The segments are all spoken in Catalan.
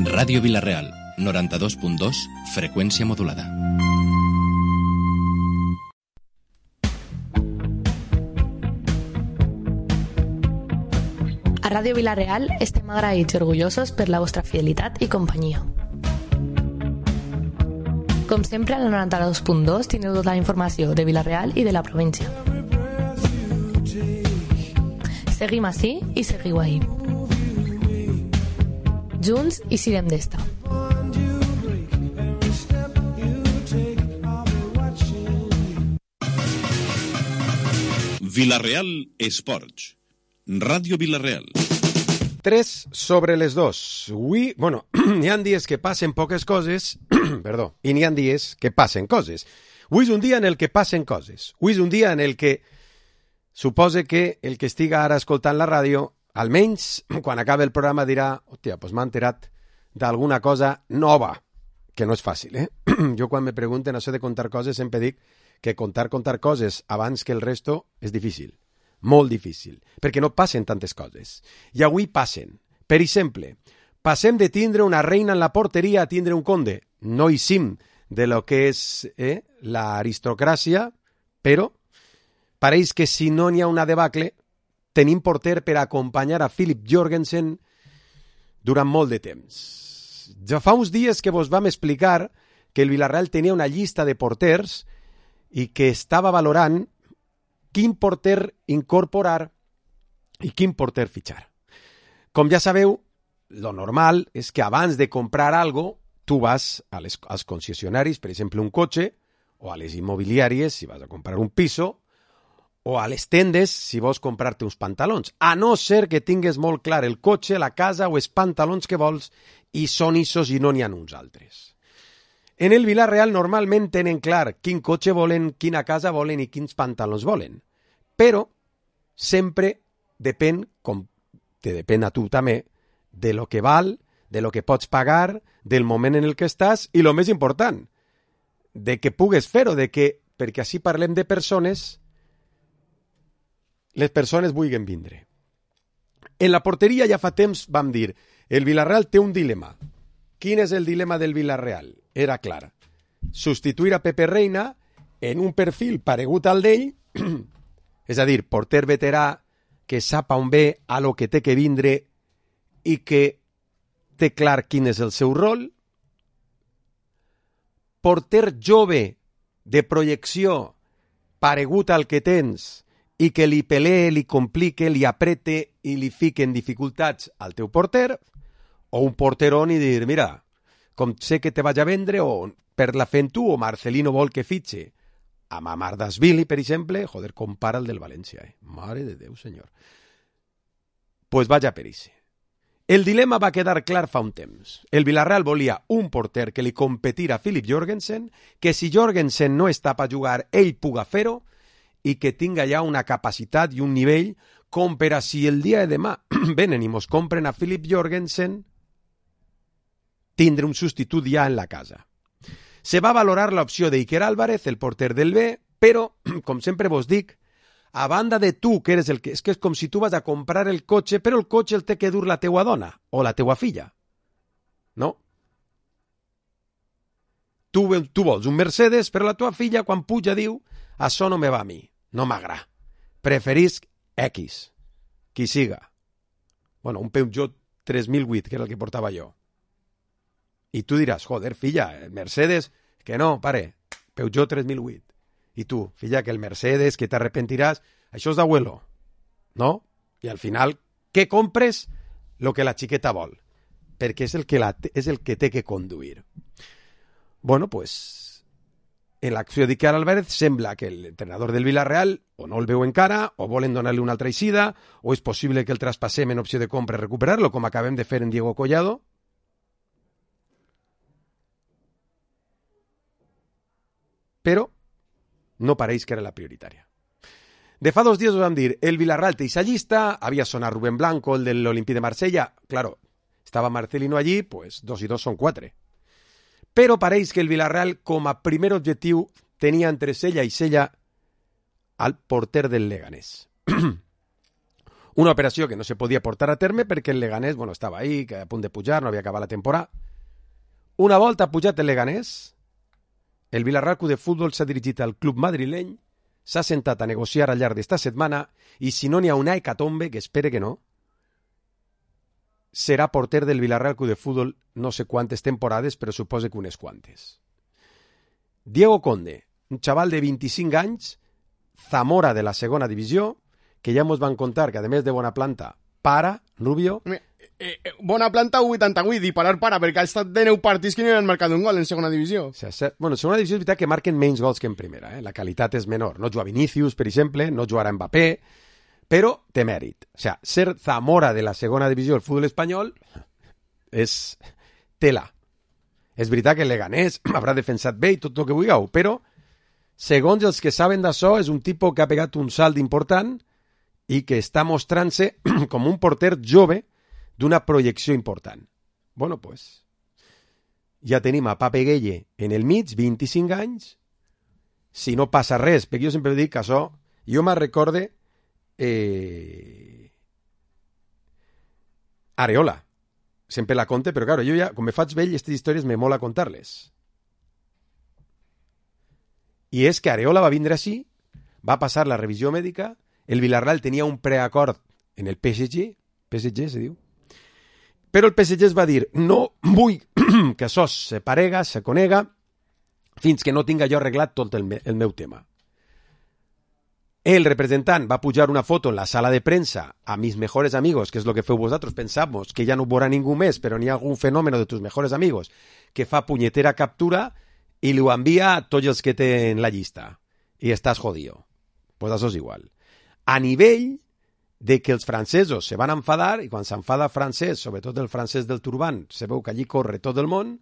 Ràdio Vila-real, 92.2, freqüència modulada. A Ràdio Vila-real estem agraïts i orgullosos per la vostra fidelitat i companyia. Com sempre, a la 92.2 teniu tota la informació de Vila-real i de la província. Seguim ací i seguiu ahí. Junts i sirem d'esta. Vila-real Esports. Ràdio Vila-real. 3 sobre les 2. Avui, n'hi ha dies que passen poques coses, perdó, i n'hi ha dies que passen coses. Avui és un dia en el que passen coses. Avui és un dia en el que suposa que el que estiga ara escoltant la ràdio, almenys quan acabi el programa dirà, hòstia, doncs m'ha enterat d'alguna cosa nova, que no és fàcil, eh? Jo quan me pregunten això de contar coses sempre dic que contar coses abans que el resto és difícil. Molt difícil, perquè no passen tantes coses. I avui passen. Per exemple, passem de tindre una reina en la porteria a tindre un conde. No hi sim de lo que és l'aristocràcia, però pareix que si no n'hi ha una debacle, tenim porter per acompanyar a Philip Jorgensen durant molt de temps. Ja fa uns dies que vos vam explicar que el Villarreal tenia una llista de porters i que estava valorant quin porter incorporar i quin porter fitxar. Com ja sabeu, lo normal és que abans de comprar algo, tu vas als concessionaris, per exemple un cotxe, o a les immobiliàries si vas a comprar un piso, o a les tendes si vols comprar-te uns pantalons. A no ser que tingues molt clar el cotxe, la casa o els pantalons que vols i són issos i no n'hi ha uns altres. En el Villarreal normalment tenen clar quin cotxe volen, quina casa volen i quins pantalons volen. Però sempre depèn, com te depèn a tu també, de lo que val, de lo que pots pagar, del moment en el que estàs i, lo més important, de que pugues fer-ho, perquè així parlem de persones, les persones vulguin vindre. En la porteria ja fa temps vam dir, el Villarreal té un dilema. Quin és el dilema del Villarreal? Era clar. Substituir a Pepe Reina en un perfil paregut al d'ell, és a dir, porter veterà que sap on ve, a lo que té que vindre i que té clar quin és el seu rol. Porter jove de projecció paregut al que tens i que li pelee, li complique, li aprete i li fique en dificultats al teu porter, o un porterón i dir, mira, com sé que te vaig a vendre, o per la fent tu, o Marcelino vol que fitxe a Mamardashvili, per exemple, joder, compara el del València, Mare de Déu, senyor. Pues vaig a per ixe. El dilema va quedar clar fa un temps. El Villarreal volia un porter que li competira a Philip Jorgensen, que si Jorgensen no està per jugar, ell puga fer-ho, i que tinga ja una capacitat i un nivell com per a si el dia de demà venen i mos compren a Philip Jorgensen, tindre un substitut ja en la casa. Se va valorar l'opció d'Iker Álvarez, el porter del B, però, com sempre vos dic, a banda de tu, que eres el que... És que és com si tu vas a comprar el cotxe, però el cotxe el té que dur la teua dona o la teua filla. No? Tu vols un Mercedes, però la tua filla, quan puja, diu això no me va a mi, no m'agrada. Preferisc X, qui siga. Bueno, un Peugeot 3008, que era el que portava jo. I tu diràs, joder, filla, el Mercedes, que no, pare, Peugeot 3008. I tu, filla, que el Mercedes, que t'arrepentiràs, això és d'abuelo, no? I al final, què compres? Lo que la xiqueta vol, perquè és el que té que conduir. Bueno, pues, en l'acció d'Iker Álvarez sembla que l'entrenador del Villarreal o no el veu encara, o volen donar-li una altra eixida, o és possible que el traspassem en opció de compra i recuperar-lo, com acabem de fer en Diego Collado. Però no pareix que era la prioritària. De fa 2 dies us vam dir, el Villarreal té esa llista, havia sonat Rubén Blanco, el de l'Olympique de Marsella, claro, estava Marcelino allí, pues 2 i 2 són 4. Però pareix que el Villarreal, com a primer objectiu, tenia entre cella i cella al porter del Leganés. Una operació que no se podia portar a terme perquè el Leganés, bueno, estava ahí, que a punt de pujar, no havia acabat la temporada. Una volta ha pujat el Leganés, el Villarreal Club de Futbol s'ha dirigit al club madrileny, s'ha sentat a negociar al llarg d'esta setmana i si no n'hi ha una hecatombe, que espere que no, serà porter del Villarreal Club de Futbol no sé quantes temporades, però suposo que unes quantes. Diego Conde, un xaval de 25 anys, Zamora de la segona divisió, que ja mos van contar que a més de bona planta, para, Rubio... Bona planta 88 i parar para, perquè ha estat de 9 partits que no han marcat un gol en segona divisió. Bueno, en segona divisió és veritat que marquen menys gols que en primera, la qualitat és menor. No juga Vinícius, per exemple, no jugarà Mbappé, però té mèrit. O sea, ser Zamora de la segona divisió del futbol espanyol és tela. És veritat que el Leganés haurà defensat bé i tot el que vulgueu, però segons els que saben d'això és un tipus que ha pegat un salt important i que està mostrant-se com un porter jove d'una projecció important. Bueno, pues, ja tenim a Pape Gueye en el mig, 25 anys, si no passa res, perquè jo sempre dic que això, jo me'n recorde Areola. Sempre la conte, però claro, jo ja, com me faig vell, aquestes històries me mola contar-les. I és que Areola va vindre així, va passar la revisió mèdica, el Villarreal tenia un preacord en el PSG se diu, però el PSG es va dir, no vull que això se parega, se conega, fins que no tinga jo arreglat tot el meu tema. El representant va pujar una foto en la sala de premsa a mis mejores amigos, que és lo que feu vosaltres, pensamos que ja no veurà ningú més, però n'hi ha algun fenòmeno de tus mejores amigos que fa punyetera captura i li ho envia a tots els que té en la llista. I estàs jodido. Pues això és igual. A nivell de que els francesos se van enfadar, i quan s'enfada francès, sobretot el francès del turbant, se veu que allí corre tot el món,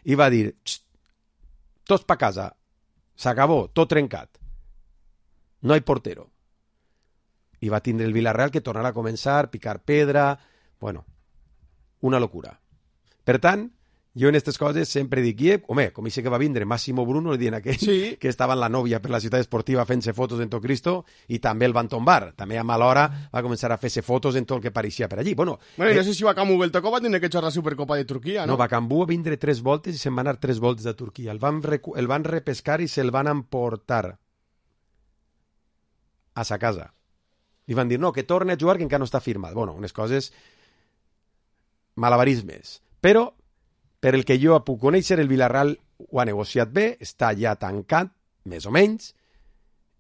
i va dir, tots pa casa, s'acabó, tot trencat, no hi portero. I va tindre el Villarreal que tornarà a començar, picar pedra, bueno, una locura. Per tant, jo en aquestes coses sempre dic, home, com dice que va vindre Massimo Bruno, li dient aquell, sí, que estava en la nòvia per la ciutat esportiva fent-se fotos en tot Cristo, i també el van tombar. També a mala hora va començar a fer-se fotos en tot el que pareixia per allí. Bueno, no sé si Bakambu Beltoko va tindre que xerrar la Supercopa de Turquia, no? No, Bakambu va vindre 3 voltes i se'n va anar 3 voltes de Turquia. El van repescar i se'l van emportar a sa casa. Li van dir, no, que torni a jugar, que encara no està firmat. Bueno, unes coses malabarismes. Però per el que jo puc conèixer, el Villarreal ho ha negociat bé, està ja tancat, més o menys,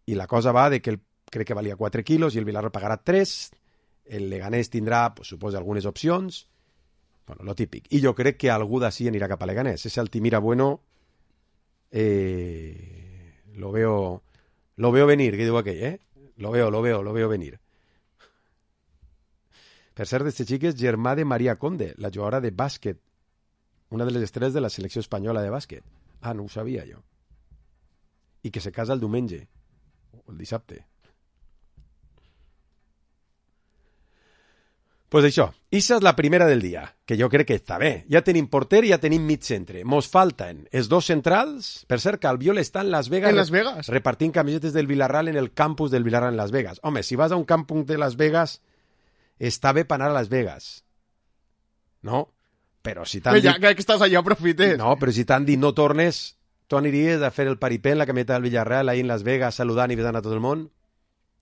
i la cosa va de que crec que valia 4 quilos i el Villarreal pagarà 3, el Leganés tindrà, pues, suposo, algunes opcions, bueno, lo típic. I jo crec que algú d'ací anirà cap a Leganés. Ese Altimira Bueno lo veo venir, que diu aquell, Lo veo venir. Per cert, este xic és germà de Maria Conde, la jugadora de bàsquet, una de les estrelles de la selecció espanyola de bàsquet. Ah, no ho sabia jo. I que se casa el diumenge, o el dissabte. Pues això, issa és la primera del dia, que jo crec que està bé. Ja tenim porter i ja tenim mig centre. Mos falten els dos centrals. Per cert, que Albiol està en Las Vegas. En Las Vegas. Repartint camisetes del Villarreal en el campus del Villarreal en Las Vegas. Home, si vas a un campus de Las Vegas, està bé per anar a Las Vegas. No? Però si t'han dit... Ja que estàs allà, aprofites. No, però si t'han dit no tornes, tu aniries a fer el paripé en la camioneta del Villarreal ahí en Las Vegas, saludant i besant a tot el món?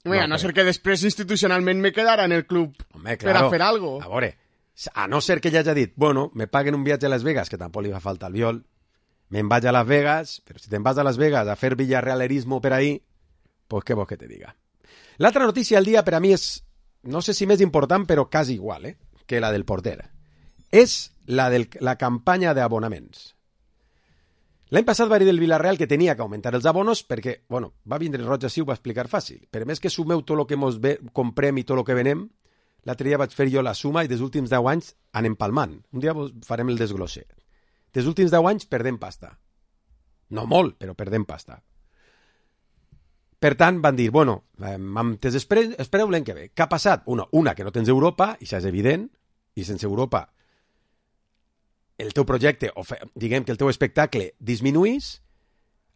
Mira, no ser que després institucionalment me quedara en el club. Home, claro, per a fer algo. A veure, a no ser que ja hagi dit, bueno, me paguen un viatge a Las Vegas, que tampoc li fa falta al Viol, me'n vaig a Las Vegas, però si te'n vas a Las Vegas a fer villarrealerismo per ahí, pues què vols que te diga. L'altra notícia del dia per a mi és, no sé si més important, però quasi igual, que la del porter. És la campanya d'abonaments. L'any passat va dir del Villarreal que tenia que augmentar els abonos perquè, bueno, va vindre el Roig així, ho va explicar fàcil. Però més que sumeu tot el que mos comprem i tot el que venem, l'altre dia vaig fer jo la suma i dels últims 10 anys anem palmant. Un dia farem el desglosser. Dels últims 10 anys perdem pasta. No molt, però perdem pasta. Per tant, van dir, bueno, espereu l'any que ve. Què ha passat? Una, que no tens Europa, i això és evident, i sense Europa el teu projecte, o diguem que el teu espectacle disminuís,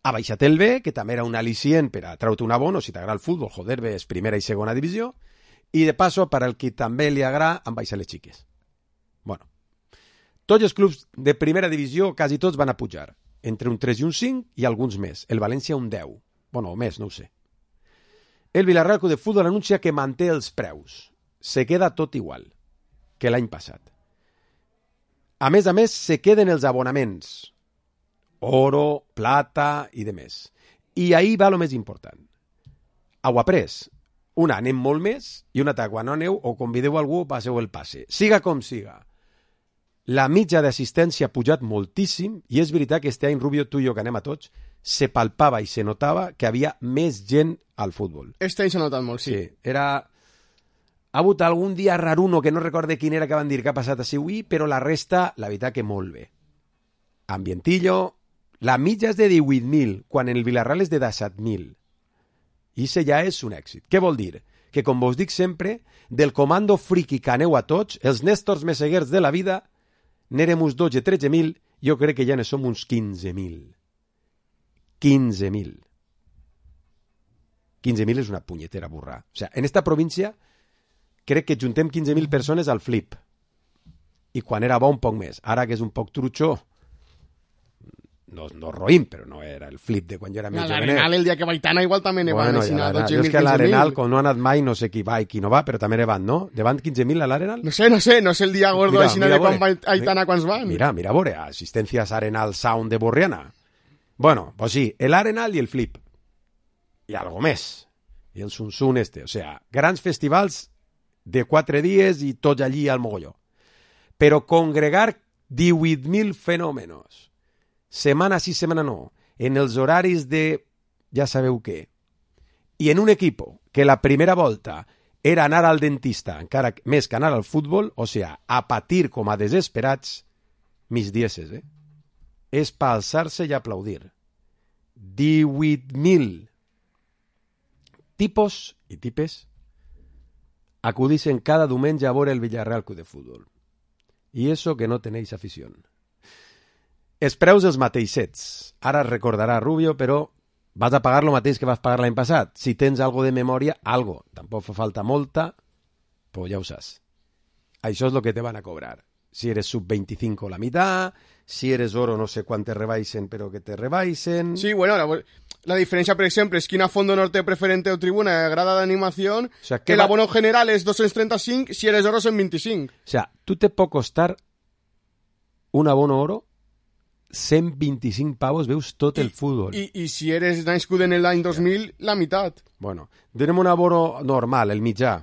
ha baixat el B, que també era un al·licient per a treure un abono, si t'agrada el futbol, joder, ves primera i segona divisió, I de passo, per al qui també li agrada, han baixat les xiques. Bueno, tots els clubs de primera divisió, quasi tots van a pujar. Entre un 3 i un 5 i alguns més. El València un 10. Bueno, o més, no ho sé. El Villarreal Club de Futbol anuncia que manté els preus. Se queda tot igual que l'any passat. A més, se queden els abonaments. Oro, plata i de més. I ahí va lo més important. Ho après. Un anem molt més i un altre quan no aneu o convideu algú passeu el passe. Siga com siga. La mitja d'assistència ha pujat moltíssim i és veritat que este any, Rubio, tu i jo que anem a tots, se palpava i se notava que havia més gent al futbol. Este any s'ha notat molt, sí. Era... Ha hagut algun dia raruno que no recorde quin era que van dir que ha passat així avui, però la resta, la veritat que molt bé. Ambientillo, la mitja és de 18.000, quan en el Villarreal és de 17.000. I això ja és un èxit. Què vol dir? Que, com vos dic sempre, del comando friki que aneu a tots, els Nèstors Meseguers de la vida, n'érem uns 12-13.000, jo crec que ja ne som uns 15.000. 15.000. 15.000 és una punyetera burra. O sea, en esta província crec que juntem 15.000 persones al flip. I quan era bo un poc més. Ara que és un poc trutxó, no roïm, però no era el flip de quan jo era més jovenet. L'Arenal el dia que vaig anar igual també ne van assinar 12.000, 15.000. Jo és que l'Arenal, com no ha anat mai, no sé qui va i qui no va, però també ne van, no? Ne van 15.000 a l'Arenal? No sé el dia gordo assinar de quan va Aitana quants van. Mira, a veure, asistencias Arenal Sound de Borriana. Bueno, pues sí, el Arenal i el flip. I algo més. I el Sunsun este. O sea, grans festivals de 4 dies i tots allí al mogolló. Però congregar 18.000 fenòmenos, setmana sí, setmana no, en els horaris de ja sabeu què, i en un equipo que la primera volta era anar al dentista, encara més que anar al futbol, o sea, a patir com a desesperats, mis dieces, és pa alçar-se i aplaudir. 18.000 tipos i tipes acudixen cada diumenge a veure el Villarreal Club de Futbol. I eso que no tenéis afición. Els preus els mateixets. Ara es recordarà, Rubio, però vas a pagar lo mateix que vas pagar l'any passat. Si tens algo de memòria, algo. Tampoc fa falta molta, pues ja ho saps. Això és lo que te van a cobrar. Si eres sub-25 la mitad, si eres oro no sé quan te rebaixen, però que te rebaixen... Sí, bueno, la diferència, per exemple, és que una Fondo Norte preferente o tribuna de grada d'animació, o sea, que l'abono general és 235, si eres oro 125. O sea, tu te pot costar un abono oro 125 pavos, veus tot el futbol. I si eres nascut en l'any 2000, la meitat. Bueno, tenim un abono normal, el mitjà.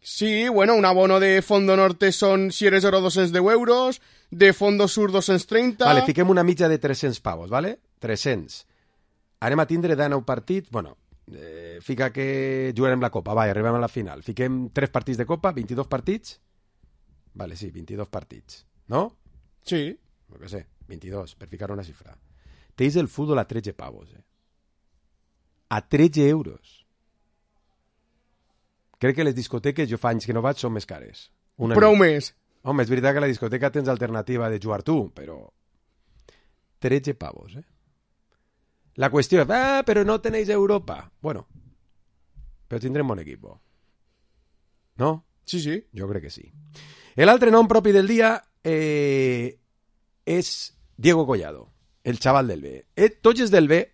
Sí, bueno, un abono de Fondo Norte son, si eres oro, 210 euros, de Fondo Sur 230... Vale, fiquem una mitja de 300 pavos, vale? 300. Anem a tindre de 9 partits, bueno, fica que jugarem la Copa, va, arribem a la final. Fiquem 3 partits de Copa, 22 partits? Vale, sí, 22 partits, no? Sí. No que sé, 22, per ficar una xifra. Teis el futbol a 13 pavos, A 13 euros. Crec que les discoteques, jo fa anys que no vaig, són més cares. Prou més. Home, és veritat que a la discoteca tens alternativa de jugar tu, però 13 pavos, La qüestió és, però no tenéis Europa. Bueno, però tindrem bon equip. No? Sí, sí. Jo crec que sí. L'altre nom propi del dia és Diego Collado, el xaval del B. Tots els del B,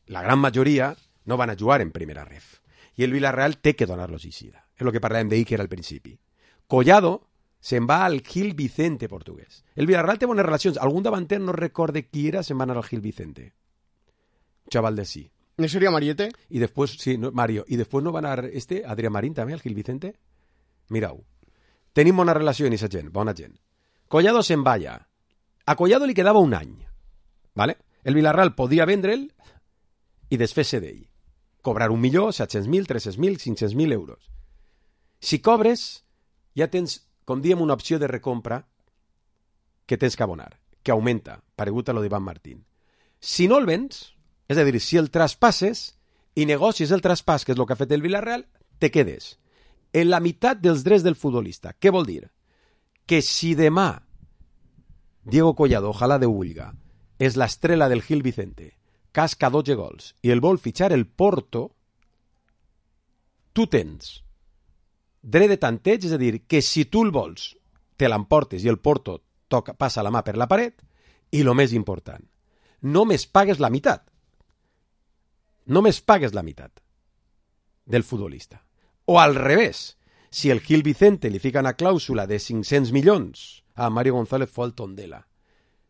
la gran majoria, no van a jugar en primera ref. I el Villarreal té que donar-los eixida. És el que parlàvem d'ahir, que era al principi. Collado se'n va al Gil Vicente portuguès. El Villarreal té bones relacions. Algun davanter no recorde qui era, se'n va anar al Gil Vicente. Un xaval de sí. ¿No sería Mariette? Y después, sí, no, Mario. Y después no van a Adrián Marín també, al Gil Vicente. Mirau. Tenim bona relació amb aquesta gent, bona gent. Collado se'n va allà. A Collado li quedava un any. ¿Vale? El Villarreal podia vendre'l i desfer-se d'ell. Cobrar 1.000.000, 700.000, 300.000, 500.000 euros. Si cobres, ja tens, com diem, una opció de recompra que tens que abonar, que augmenta, paregut a lo d'Ivan Martín. Si no el vens, és a dir, si el traspasses i negocies el traspàs, que és el que ha fet el Villarreal, te quedes en la meitat dels drets del futbolista. Què vol dir? Que si demà Diego Collado, ojalà de Huelga, és l'estrela del Gil Vicente, casca 12 gols i el vol fitxar el Porto, tu tens dret de tanteig, és a dir, que si tu el vols, te l'emportes i el Porto passa la mà per la paret, i el més important, només pagues la meitat. Només pagues la meitat del futbolista. O al revés, si el Gil Vicente li fica una clàusula de 500 milions a Mario González fue el Tondela,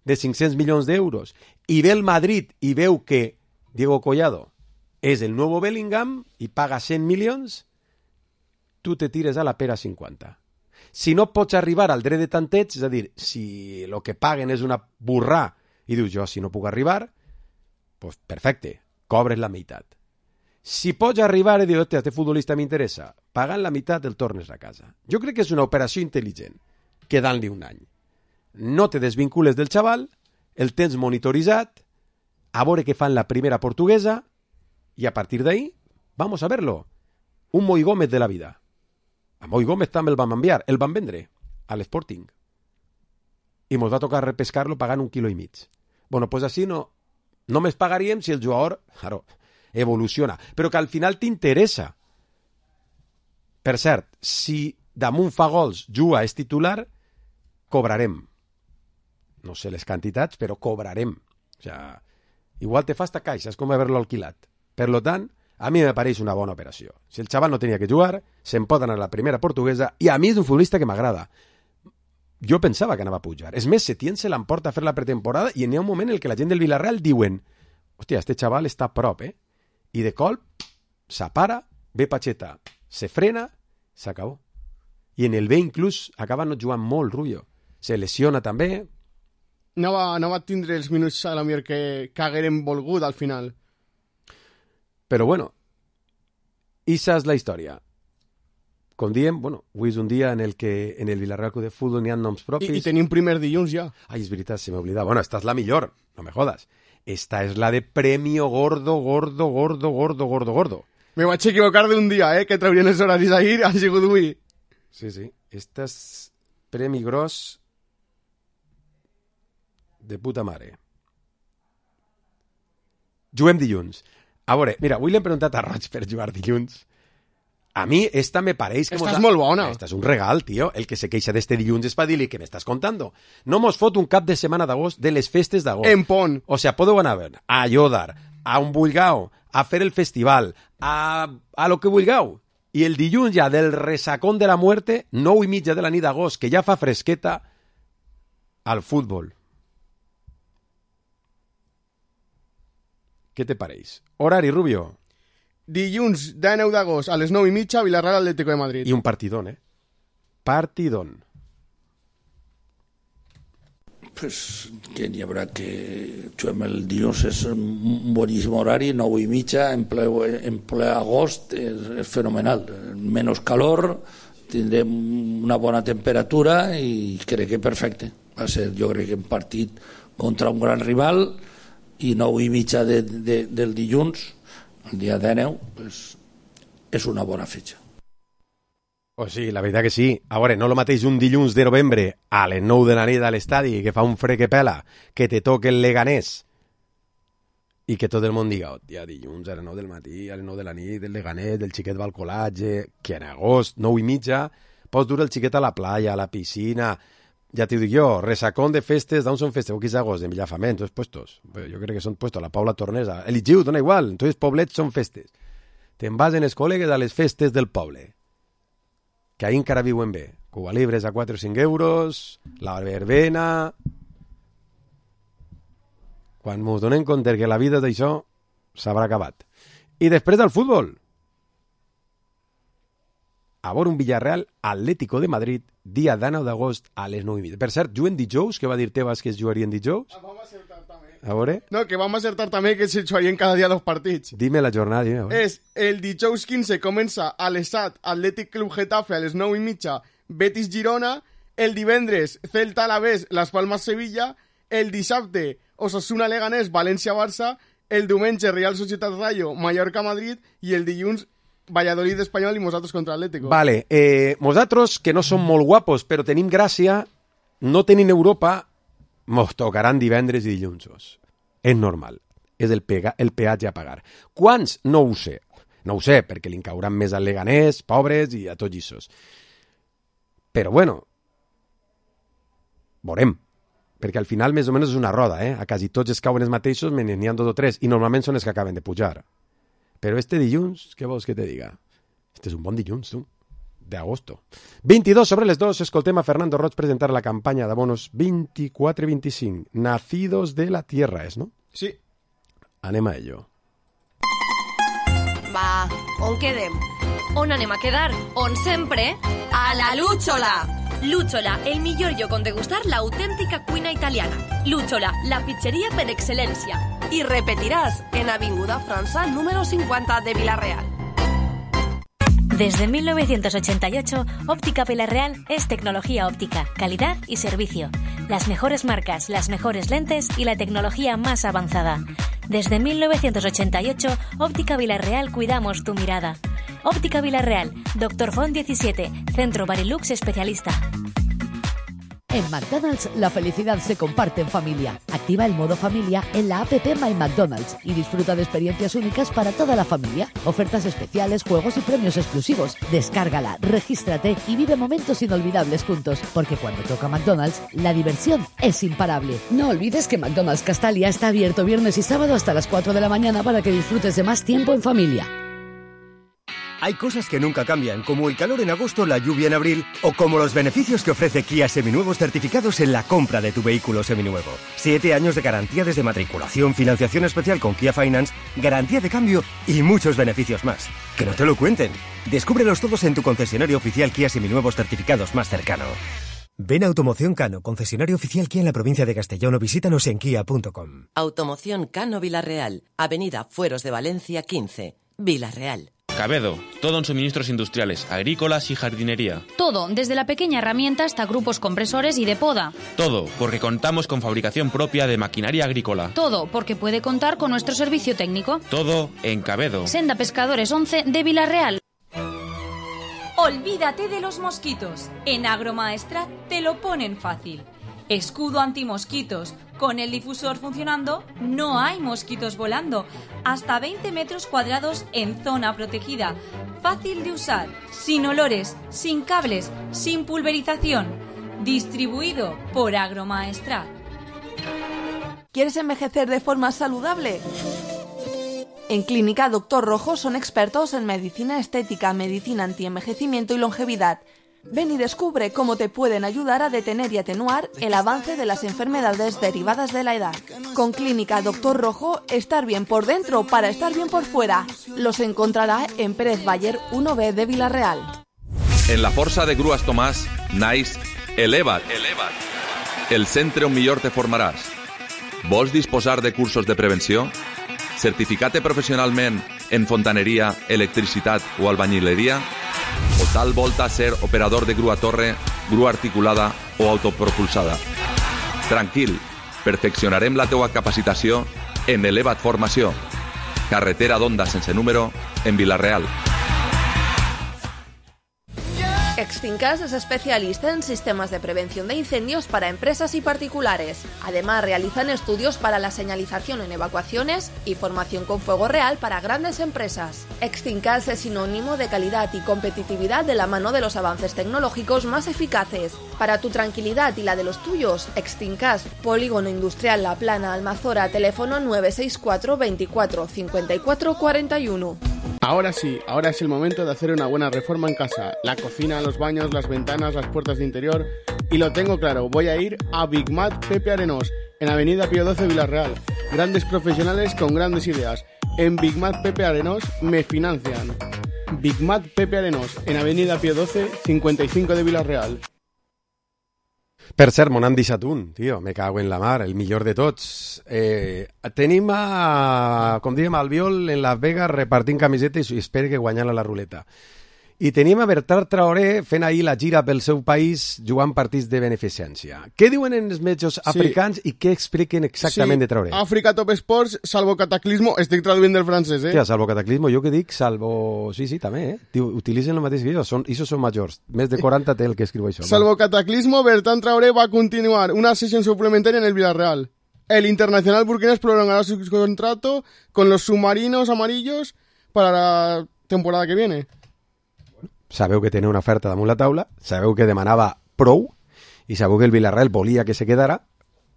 de 500 milions d'euros, i ve el Madrid i veu que Diego Collado és el nuevo Bellingham i paga 100 milions, tu te tires a la pera 50. Si no pots arribar al dret de tanteig, és a dir, si el que paguen és una burrà i dius jo, si no puc arribar, pues perfecte, cobres la meitat. Si pots arribar i dir, hòstia, este futbolista m'interessa, pagant la meitat el tornes a casa. Jo crec que és una operació intel·ligent, quedant-li un any. No te desvincules del xaval, el tens monitoritzat, a veure què fan la primera portuguesa, i a partir d'ahí, vamos a verlo. Un Moi Gómez de la vida. A Moi Gómez també el vam enviar, el van vendre a l'Sporting. I mos va tocar repescar-lo pagant 1,5 quilos. Bueno, pues així no només pagaríem si el jugador, claro, evoluciona, però que al final t'interessa. Per cert, si damunt fa gols, juga, és titular, cobrarem. No sé les quantitats, però cobrarem. O sea, igual te fa esta caixa, és com haver-lo alquilat. Per lo tant, a mi me pareix una bona operació. Si el xaval no tenia que jugar, se'n pot anar a la primera portuguesa, i a mi és un futbolista que m'agrada. Jo pensava que anava a pujar. És més, Setién se l'emporta a fer la pretemporada i n'hi ha un moment en què la gent del Villarreal diuen hòstia, este xaval està a prop, I de colp, s'apara, ve Pacheta, se frena, s'acabó. I en el B inclús acaba no jugant molt, Rubio. Se lesiona també. No va tindre els minuts a la millor que haguérem volgut al final. Però bueno, esa és la història. Com diem, bueno, avui és un dia en el que en el Villarreal Club de Fútbol n'hi ha noms propis. I tenim primer dilluns ja. Ai, és veritat, se m'oblida. Bueno, esta és la millor, no me jodas. Esta és la de premio gordo. Me vaig equivocar d'un dia, que traurien els horaris ahir, ha sigut avui. Sí. Esta és premi gros de puta mare. Juguem dilluns. A veure, mira, avui l'hem preguntat a Roig per jugar dilluns. A mi esta me pareix que... Esta és molt bona. Esta és un regal, tio. El que se queixa d'este dilluns és per dir-li que m'estàs contando. No mos fot un cap de setmana d'agost de les festes d'agost. En pont. O sea, podeu anar a Ayodar, a un vulgau, a fer el festival, a lo que vulgau. I el dilluns ja del resacón de la muerte, 9:30 de la nit d'agost, que ja fa fresqueta, al futbol. Què te pareix? Horari, Rubio. Dilluns 19 d'agost a les 9:30, Villarreal Atlético de Madrid. I un partidón, Partidón. Pues que n'hi haurà que juguem el dilluns, és un boníssim horari, 9:30, en ple agost, és fenomenal. Menys calor, tindrem una bona temperatura i crec que perfecte. Va ser, jo crec que un partit contra un gran rival i 9:30 del dilluns, el dia 19, pues, és una bona fetge. Oh, sí, la veritat que sí. A veure, no el mateix un dilluns de novembre a les 9 de la nit a l'estadi, que fa un fred que pela, que te toque el Leganés i que tot el món diga, ja dilluns a les 9 del matí, a les 9 de la nit, el Leganés, del xiquet va al col·latge, que en agost, 9:30, pots dur el xiquet a la playa, a la piscina. Ja t'ho dic jo, resacón de festes, d'on són festes? Aquí és agost, en Villafament, tots puestos. Jo crec que són puestos, la Paula Tornesa. El Igiu, dona igual, entonces poblets són festes. Te'n vas en els col·legues a les festes del poble, que ahí encara viuen bé. Cuba Libres a 4 o 5 euros, la verbena... Quan mos donem compte que la vida d'això s'haurà acabat. I després del futbol. A veure un Villarreal Atlético de Madrid, dia 19 d'agost a les 9:30. Per cert, juguen dijous, que va dir Tebas que es jugarien dijous? Vam acertar també. A veure? No, que vam acertar també que se jugarien cada dia 2 partits. Dime la jornada, dime. És el dijous 15 comença a l'Esat Atlètic Club Getafe a les 9:30, Betis Girona, el divendres Celta Alavés, Las Palmas Sevilla, el dissabte Osasuna Leganés, València Barça, el diumenge Real Societat Rayo, Mallorca Madrid i el dilluns Valladolid Espanyol i nosaltres contra Atlético. Vale, nosaltres, que no som molt guapos, però tenim gràcia, no tenim Europa, mos tocaran divendres i dilluns. És normal. És el peatge a pagar. Quants? No ho sé. No ho sé, perquè li cauran més al Leganés, pobres, i a tots issos. Però bueno, veurem. Perquè al final més o menys és una roda, A quasi tots es cauen els mateixos, menys n'hi ha 2 o 3, i normalment són els que acaben de pujar. Però este dilluns, què vols que te diga? Este és un bon dilluns, tu, d'agosto. 22 sobre les 2, escoltem a Fernando Roig presentar la campanya d'abonos 24-25, Nacidos de la Tierra, és, no? Sí. Anem a ello. Va, on quedem? On anem a quedar? On sempre? A la Lúchola! Lúchola, el millor lloc on degustar l'autèntica cuina italiana. Lúchola, la pizzeria per excel·lència. I repetiràs en Avinguda França número 50 de Vila-real. Desde 1988, Óptica Vila-real es tecnología óptica, calidad y servicio. Las mejores marcas, las mejores lentes y la tecnología más avanzada. Desde 1988, Óptica Vila-real cuidamos tu mirada. Óptica Vila-real, Dr. Font 17, Centro Barilux Especialista. En McDonald's, la felicidad se comparte en familia. Activa el modo familia en la app My McDonald's y disfruta de experiencias únicas para toda la familia. Ofertas especiales, juegos y premios exclusivos. Descárgala, regístrate y vive momentos inolvidables juntos. Porque cuando toca McDonald's, la diversión es imparable. No olvides que McDonald's Castalia está abierto viernes y sábado hasta las 4 de la mañana para que disfrutes de más tiempo en familia. Hay cosas que nunca cambian, como el calor en agosto, la lluvia en abril, o como los beneficios que ofrece Kia Seminuevos certificados en la compra de tu vehículo seminuevo. 7 años de garantía desde matriculación, financiación especial con Kia Finance, garantía de cambio y muchos beneficios más. Que no te lo cuenten. Descúbrelos todos en tu concesionario oficial Kia Seminuevos certificados más cercano. Ven a Automoción Cano, concesionario oficial Kia en la provincia de Castellón, o visítanos en kia.com. Automoción Cano Vila-real, Avenida Fueros de Valencia 15, Vila-real. Cabedo, todo en suministros industriales, agrícolas y jardinería. Todo, desde la pequeña herramienta hasta grupos compresores y de poda. Todo, porque contamos con fabricación propia de maquinaria agrícola. Todo, porque puede contar con nuestro servicio técnico. Todo en Cabedo. Senda Pescadores 11 de Vila-real. Olvídate de los mosquitos. En Agromaestrat te lo ponen fácil. Escudo antimosquitos. Con el difusor funcionando, no hay mosquitos volando. Hasta 20 metros cuadrados en zona protegida. Fácil de usar, sin olores, sin cables, sin pulverización. Distribuido por Agromaestrat. ¿Quieres envejecer de forma saludable? En Clínica Dr. Rojo son expertos en medicina estética, medicina antienvejecimiento y longevidad. Ven y descubre cómo te pueden ayudar a detener y atenuar el avance de las enfermedades derivadas de la edad. Con Clínica Dr. Rojo, estar bien por dentro para estar bien por fuera. Los encontrará en Pérez Baller 1B de Vila-real. En la Força de Grues Tomàs, naix Eleva't. El centre on millor te formaràs. Vols disposar de cursos de prevenció? Certificat professionalment en fontaneria, electricitat o albañileria? O tal volta ser operador de grua torre, grua articulada o autopropulsada? Tranquil, perfeccionarem la teua capacitació en Eleva't Formació. Carretera d'Onda sense número, en Vila-real. Extincas es especialista en sistemas de prevención de incendios para empresas y particulares. Además, realizan estudios para la señalización en evacuaciones y formación con fuego real para grandes empresas. Extincas es sinónimo de calidad y competitividad de la mano de los avances tecnológicos más eficaces. Para tu tranquilidad y la de los tuyos, Extincas, Polígono Industrial La Plana, Almazora, teléfono 964 24 54 41. Ahora sí, ahora es el momento de hacer una buena reforma en casa. La cocina, los baños, las ventanas, las puertas de interior. Y lo tengo claro, voy a ir a Big Mat Pepe Arenós, en Avenida Pío XII Vila-real. Grandes profesionales con grandes ideas. En Big Mat Pepe Arenós me financian. Big Mat Pepe Arenós, en Avenida Pío XII 55 de Vila-real. Per cert, me n'han deixat un, tio, me cago en la mar, el millor de tots. Tenim, com dèiem, Albiol en Las Vegas repartint camisetes i espera que guanyant a la ruleta. I tenim a Bertran Traoré fent ahir la gira pel seu país jugant partits de beneficència. Què diuen en els metges africans i què expliquen exactament de Traoré? Àfrica Top Sports, Salvo Cataclismo, estic traduint del francès, Hòstia, Salvo Cataclismo, jo que dic Salvo... Sí, també, Diu, utilitzen el mateix que jo, això són majors. Més de 40 té el que escriu això. Salvo Cataclismo, Bertran Traoré va continuar una sesión suplementaria en el Villarreal. El internacional burkinés prolongará su contrato con los submarinos amarillos para temporada que viene? Sabeu que tenia una oferta damunt la taula, sabeu que demanava prou i sabeu que el Villarreal volia que se quedara,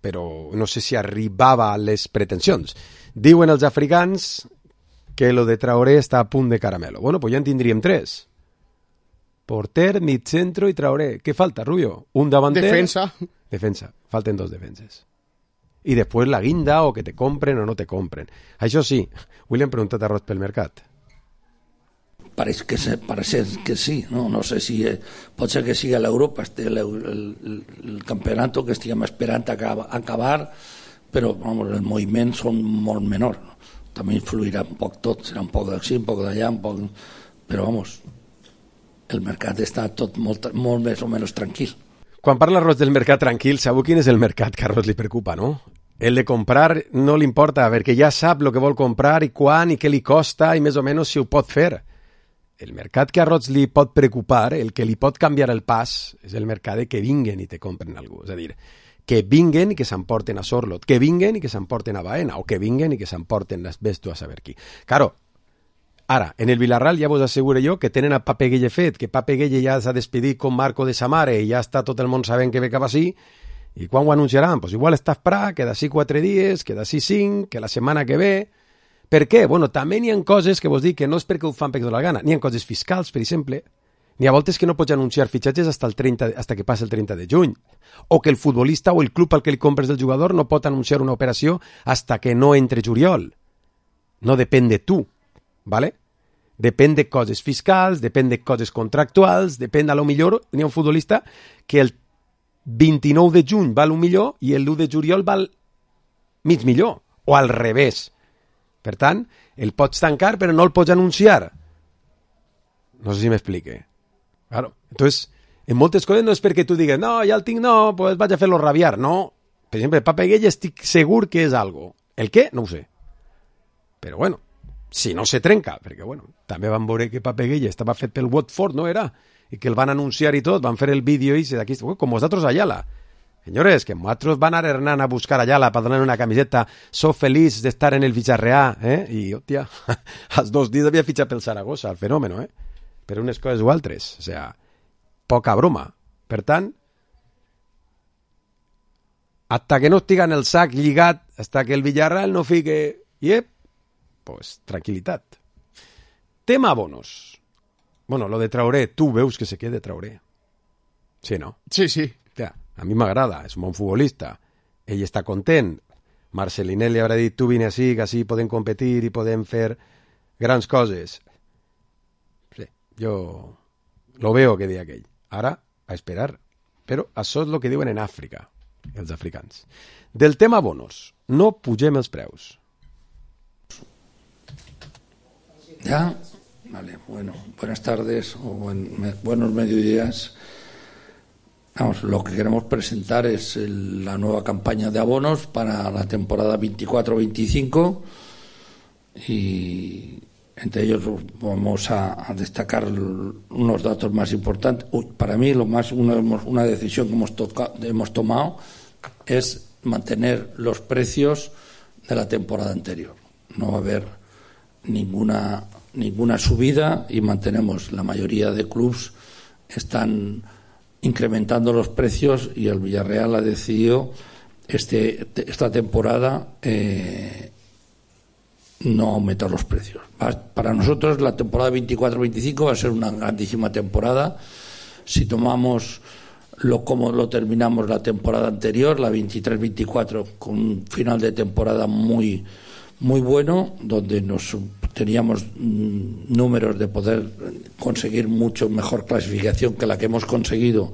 però no sé si arribava a les pretensions. Diuen els africans que lo de Traoré està a punt de caramelo. Bueno, pues ja en tindríem 3. Porter, mitcentro i Traoré. Què falta, Rubio? Un davanter... Defensa. Falten 2 defenses. I després la guinda, o que te compren o no te compren. Això sí, William preguntat a Roig pel mercat. Parece que sí, no sé si pot ser que sigui a l'Europa el campionat que estiguem esperant acabar, però vamos, els moviments són molt menors. També influirà un poc tot, serà un poc d'ací, un poc d'allà, però vamos, el mercat està tot molt més o menys tranquil. Quan parla Roig del mercat tranquil, sabeu quin és el mercat que a Roig li preocupa, no? El de comprar no li importa, perquè ja sap el que vol comprar i quan i què li costa i més o menys si ho pot fer. El mercat que a Roig li pot preocupar, el que li pot canviar el pas, és el mercat de que vinguen i te compren algú. És a dir, que vinguen i que s'emporten a Sorlot, que vinguen i que s'emporten a Baena, o que vinguen i que s'emporten ves tu a saber qui. Claro, ara, en el Villarreal ja vos asseguro jo que tenen a Pape Gueye fet, que Pape Gueye ja s'ha despedit con Marco de Samare i ja està tot el món sabent que ve cap així, i quan ho anunciaran? Pues igual està esperar que d'ací 4 dies, que d'ací 5, que la setmana que ve... Per què? Bueno, també n'hi ha coses que vos dic que no és perquè ho fan perquè dona la gana. N'hi ha coses fiscals, per exemple. N'hi ha voltes que no pots anunciar fitxatges hasta que passi el 30 de juny. O que el futbolista o el club al que li compres del jugador no pot anunciar una operació hasta que no entre juliol. No depèn de tu, ¿vale? Depèn de coses fiscals, depèn de coses contractuals, depèn, a lo millor, n'hi ha un futbolista que el 29 de juny val un millor i el 1 de juliol val mig millor, o al revés. Per tant, el pots tancar però no el pots anunciar. No sé si m'explique. Claro. Entonces, en moltes coses no és perquè tu digues no, ja el tinc, no, pues vaig a fer-lo rabiar. No. Per exemple, Pape Gueye estic segur que és algo. El què? No ho sé. Però bueno, si no se trenca, perquè bueno, també van veure que Pape Gueye estava fet pel Watford, no era? I que el van anunciar i tot, van fer el vídeo i d'aquí, com vosaltres a Ayala. Señores, que nosotros van a Hernán a buscar a Ayala para darle una camiseta. Soy feliz de estar en el Villarreal, ¿eh? Y, hostia, als 2 dies havia fitxat pel Saragossa, el fenòmeno, ¿eh? Per unes coses o altres. O sea, poca broma. Per tant, hasta que no estiga en el sac lligat, hasta que el Villarreal no fique... pues tranquil·litat. Tema bonos. Bueno, lo de Traoré, tu veus que se quede Traoré. Sí, no? Sí, sí. A mi m'agrada, és un bon futbolista. Ell està content. Marcelinel li haurà dit, tu vine així, que així podem competir i podem fer grans coses. Sí, jo lo veo que deia aquell. Ara, a esperar. Però això és el que diuen en Àfrica, els africans. Del tema bonos, no pugem els preus. ¿Ya? Vale, bueno, buenas tardes o buenos mediodías. Vamos, lo que queremos presentar es la nueva campaña de abonos para la temporada 24-25 y entre ellos vamos a destacar unos datos más importantes. Para mí una decisión que hemos tomado es mantener los precios de la temporada anterior. No va a haber ninguna subida y mantenemos, la mayoría de clubes están incrementando los precios y el Villarreal ha decidido esta temporada no aumentar los precios. Para nosotros la temporada 24-25 va a ser una grandísima temporada. Si tomamos como lo terminamos la temporada anterior, la 23-24, con un final de temporada muy bueno, donde teníamos números de poder conseguir mucho mejor clasificación que la que hemos conseguido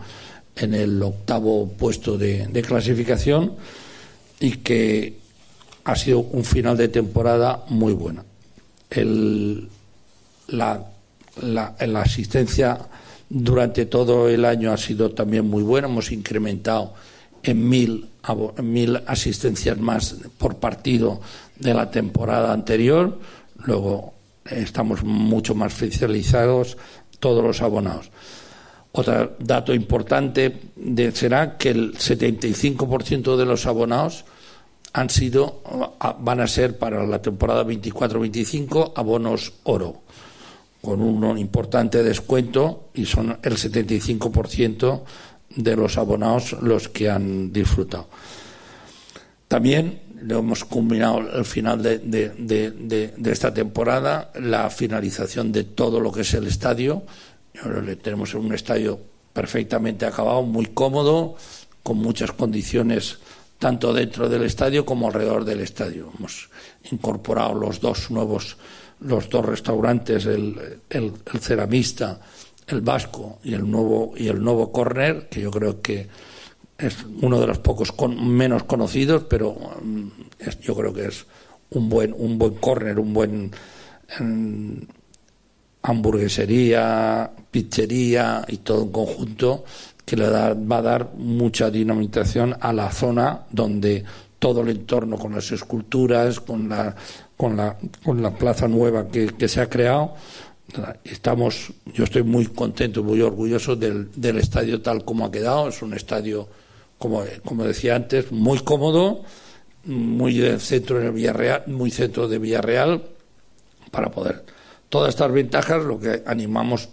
en el 8º puesto de clasificación, y que ha sido un final de temporada muy buena. La asistencia durante todo el año ha sido también muy buena. Hemos incrementado en 1.000 asistencias más por partido de la temporada anterior. Luego estamos mucho más oficializados todos los abonados. Otro dato importante será que el 75% de los abonados van a ser para la temporada 24-25 abonos oro, con un importante descuento, y son el 75% de los abonados los que han disfrutado. También lo hemos culminado al final de esta temporada, la finalización de todo lo que es el estadio. Tenemos un estadio perfectamente acabado, muy cómodo, con muchas condiciones tanto dentro del estadio como alrededor del estadio. Hemos incorporado los dos restaurantes, el ceramista, el vasco y el nuevo Corner, que yo creo que es uno de los pocos menos conocidos, pero yo creo que es un buen Corner, un buen hamburguesería, pizzería y todo un conjunto que va a dar mucha dinamización a la zona, donde todo el entorno, con las esculturas, con la plaza nueva que se ha creado, yo estoy muy contento, muy orgulloso del estadio tal como ha quedado. Es un estadio, como decía antes, muy cómodo, muy centro de Villarreal, para poder. Todas estas ventajas, lo que animamos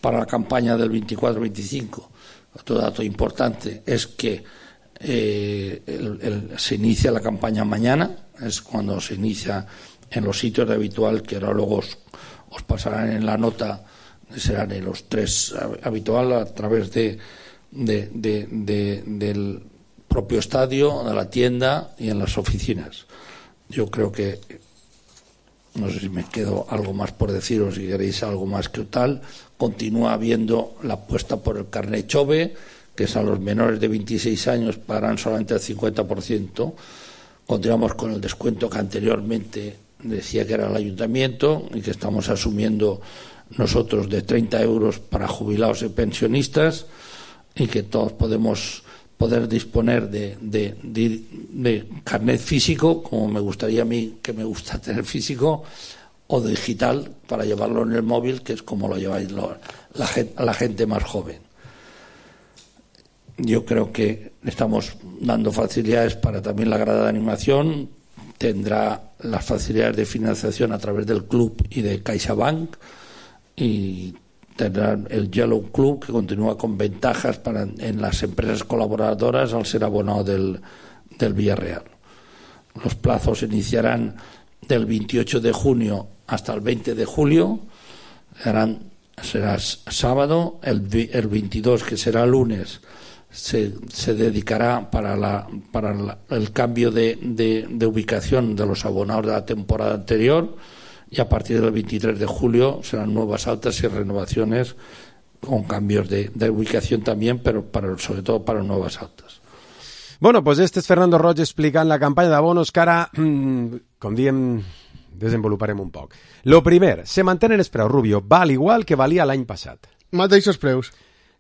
para la campaña del 24-25. Otro dato importante es que se inicia la campaña mañana, es cuando se inicia en los sitios de habitual, que ahora luego os pasarán en la nota, serán en los 3 habitual, a través del propio estadio, de la tienda y en las oficinas. Yo creo que, no sé si me quedo algo más por deciros, si queréis algo más que tal. Continúa habiendo la apuesta por el carnet Chove, que es a los menores de 26 años pagarán solamente el 50%. Continuamos con el descuento que anteriormente decía que era el ayuntamiento y que estamos asumiendo nosotros, de 30 euros para jubilados y pensionistas, y que todos poder disponer de carnet físico, como me gustaría a mí, que me gusta tener físico, o digital para llevarlo en el móvil, que es como lo lleváis la gente más joven. Yo creo que estamos dando facilidades para también la grada de animación. Tendrá las facilidades de financiación a través del club y de CaixaBank, y tendrá el Yellow Club, que continúa con ventajas en las empresas colaboradoras al ser abonado del Villarreal. Los plazos iniciarán del 28 de junio hasta el 20 de julio. Será sábado. El 22, que será lunes, se dedicará para el cambio de ubicación de los abonados de la temporada anterior, y a partir del 23 de julio serán nuevas altas y renovaciones con cambios de ubicación también, pero sobre todo para nuevas altas. Bueno, pues este és Fernando Roig explicant la campanya d'abonos que ara, com diem, desenvoluparem un poc. Lo primer, se mantenen els preus, Rubio, val igual que valia l'any passat. Mateixos preus.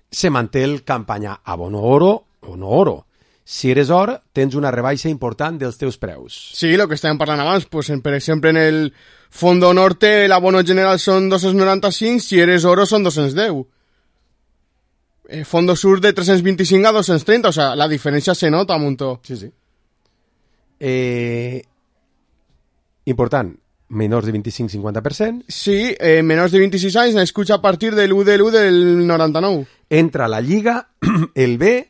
Se manté el campanya abono oro o no oro. Si eres or, tens una rebaixa important dels teus preus. Sí, lo que estàvem parlant abans, pues, per exemple, en el Fondo Norte el abono general són 295, si eres oro són 210. Fondo Sur de 325 a 230, o sea, la diferència se nota un montó. Sí, sí. Important, menors de 25-50%. Sí, menors de 26 anys, n'escucha a partir del 1 de l'1 del 99. Entra a la Lliga, el B,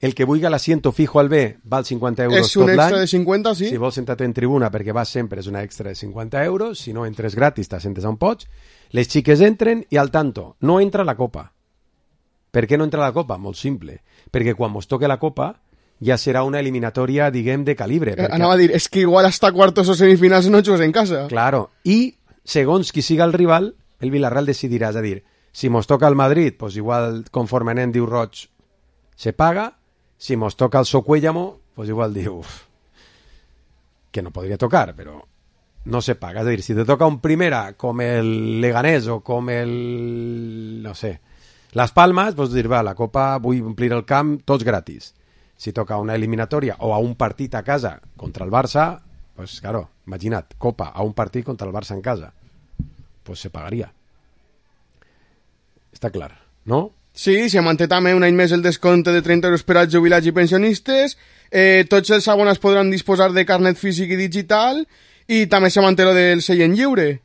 el que vulgui l'assiento fijo al B val 50 euros tot l'any. És un extra de 50, sí. Si vols sentar-te en tribuna perquè vas sempre, és una extra de 50 euros. Si no entres gratis, t'assentes on pots. Les xiques entren i al tanto, no entra la Copa. Per què no entra la Copa? Molt simple. Perquè quan mos toque la Copa ja serà una eliminatòria, diguem, de calibre. Anava a dir, és que igual hasta cuartos o semifinals no jugues en casa. Claro. I, segons qui siga el rival, el Villarreal decidirà. És a dir, si mos toca el Madrid, pues igual, conforme anem, diu Roig, se paga. Si mos toca el Socuéllamo, pues igual diu que no podria tocar, però no se paga. És a dir, si te toca un primera com el Leganés o com el, no sé, Las Palmas, pues dir, va, la Copa vull omplir el camp, tots gratis. Si toca una eliminatòria o a un partit a casa contra el Barça, pues claro, imagina't, Copa a un partit contra el Barça en casa, pues se pagaria. Està clar, no? Sí, se manté també un any més el descompte de 30 euros per als jubilats i pensionistes. Tots els abonats podran disposar de carnet físic i digital, i també se manté lo del seient lliure.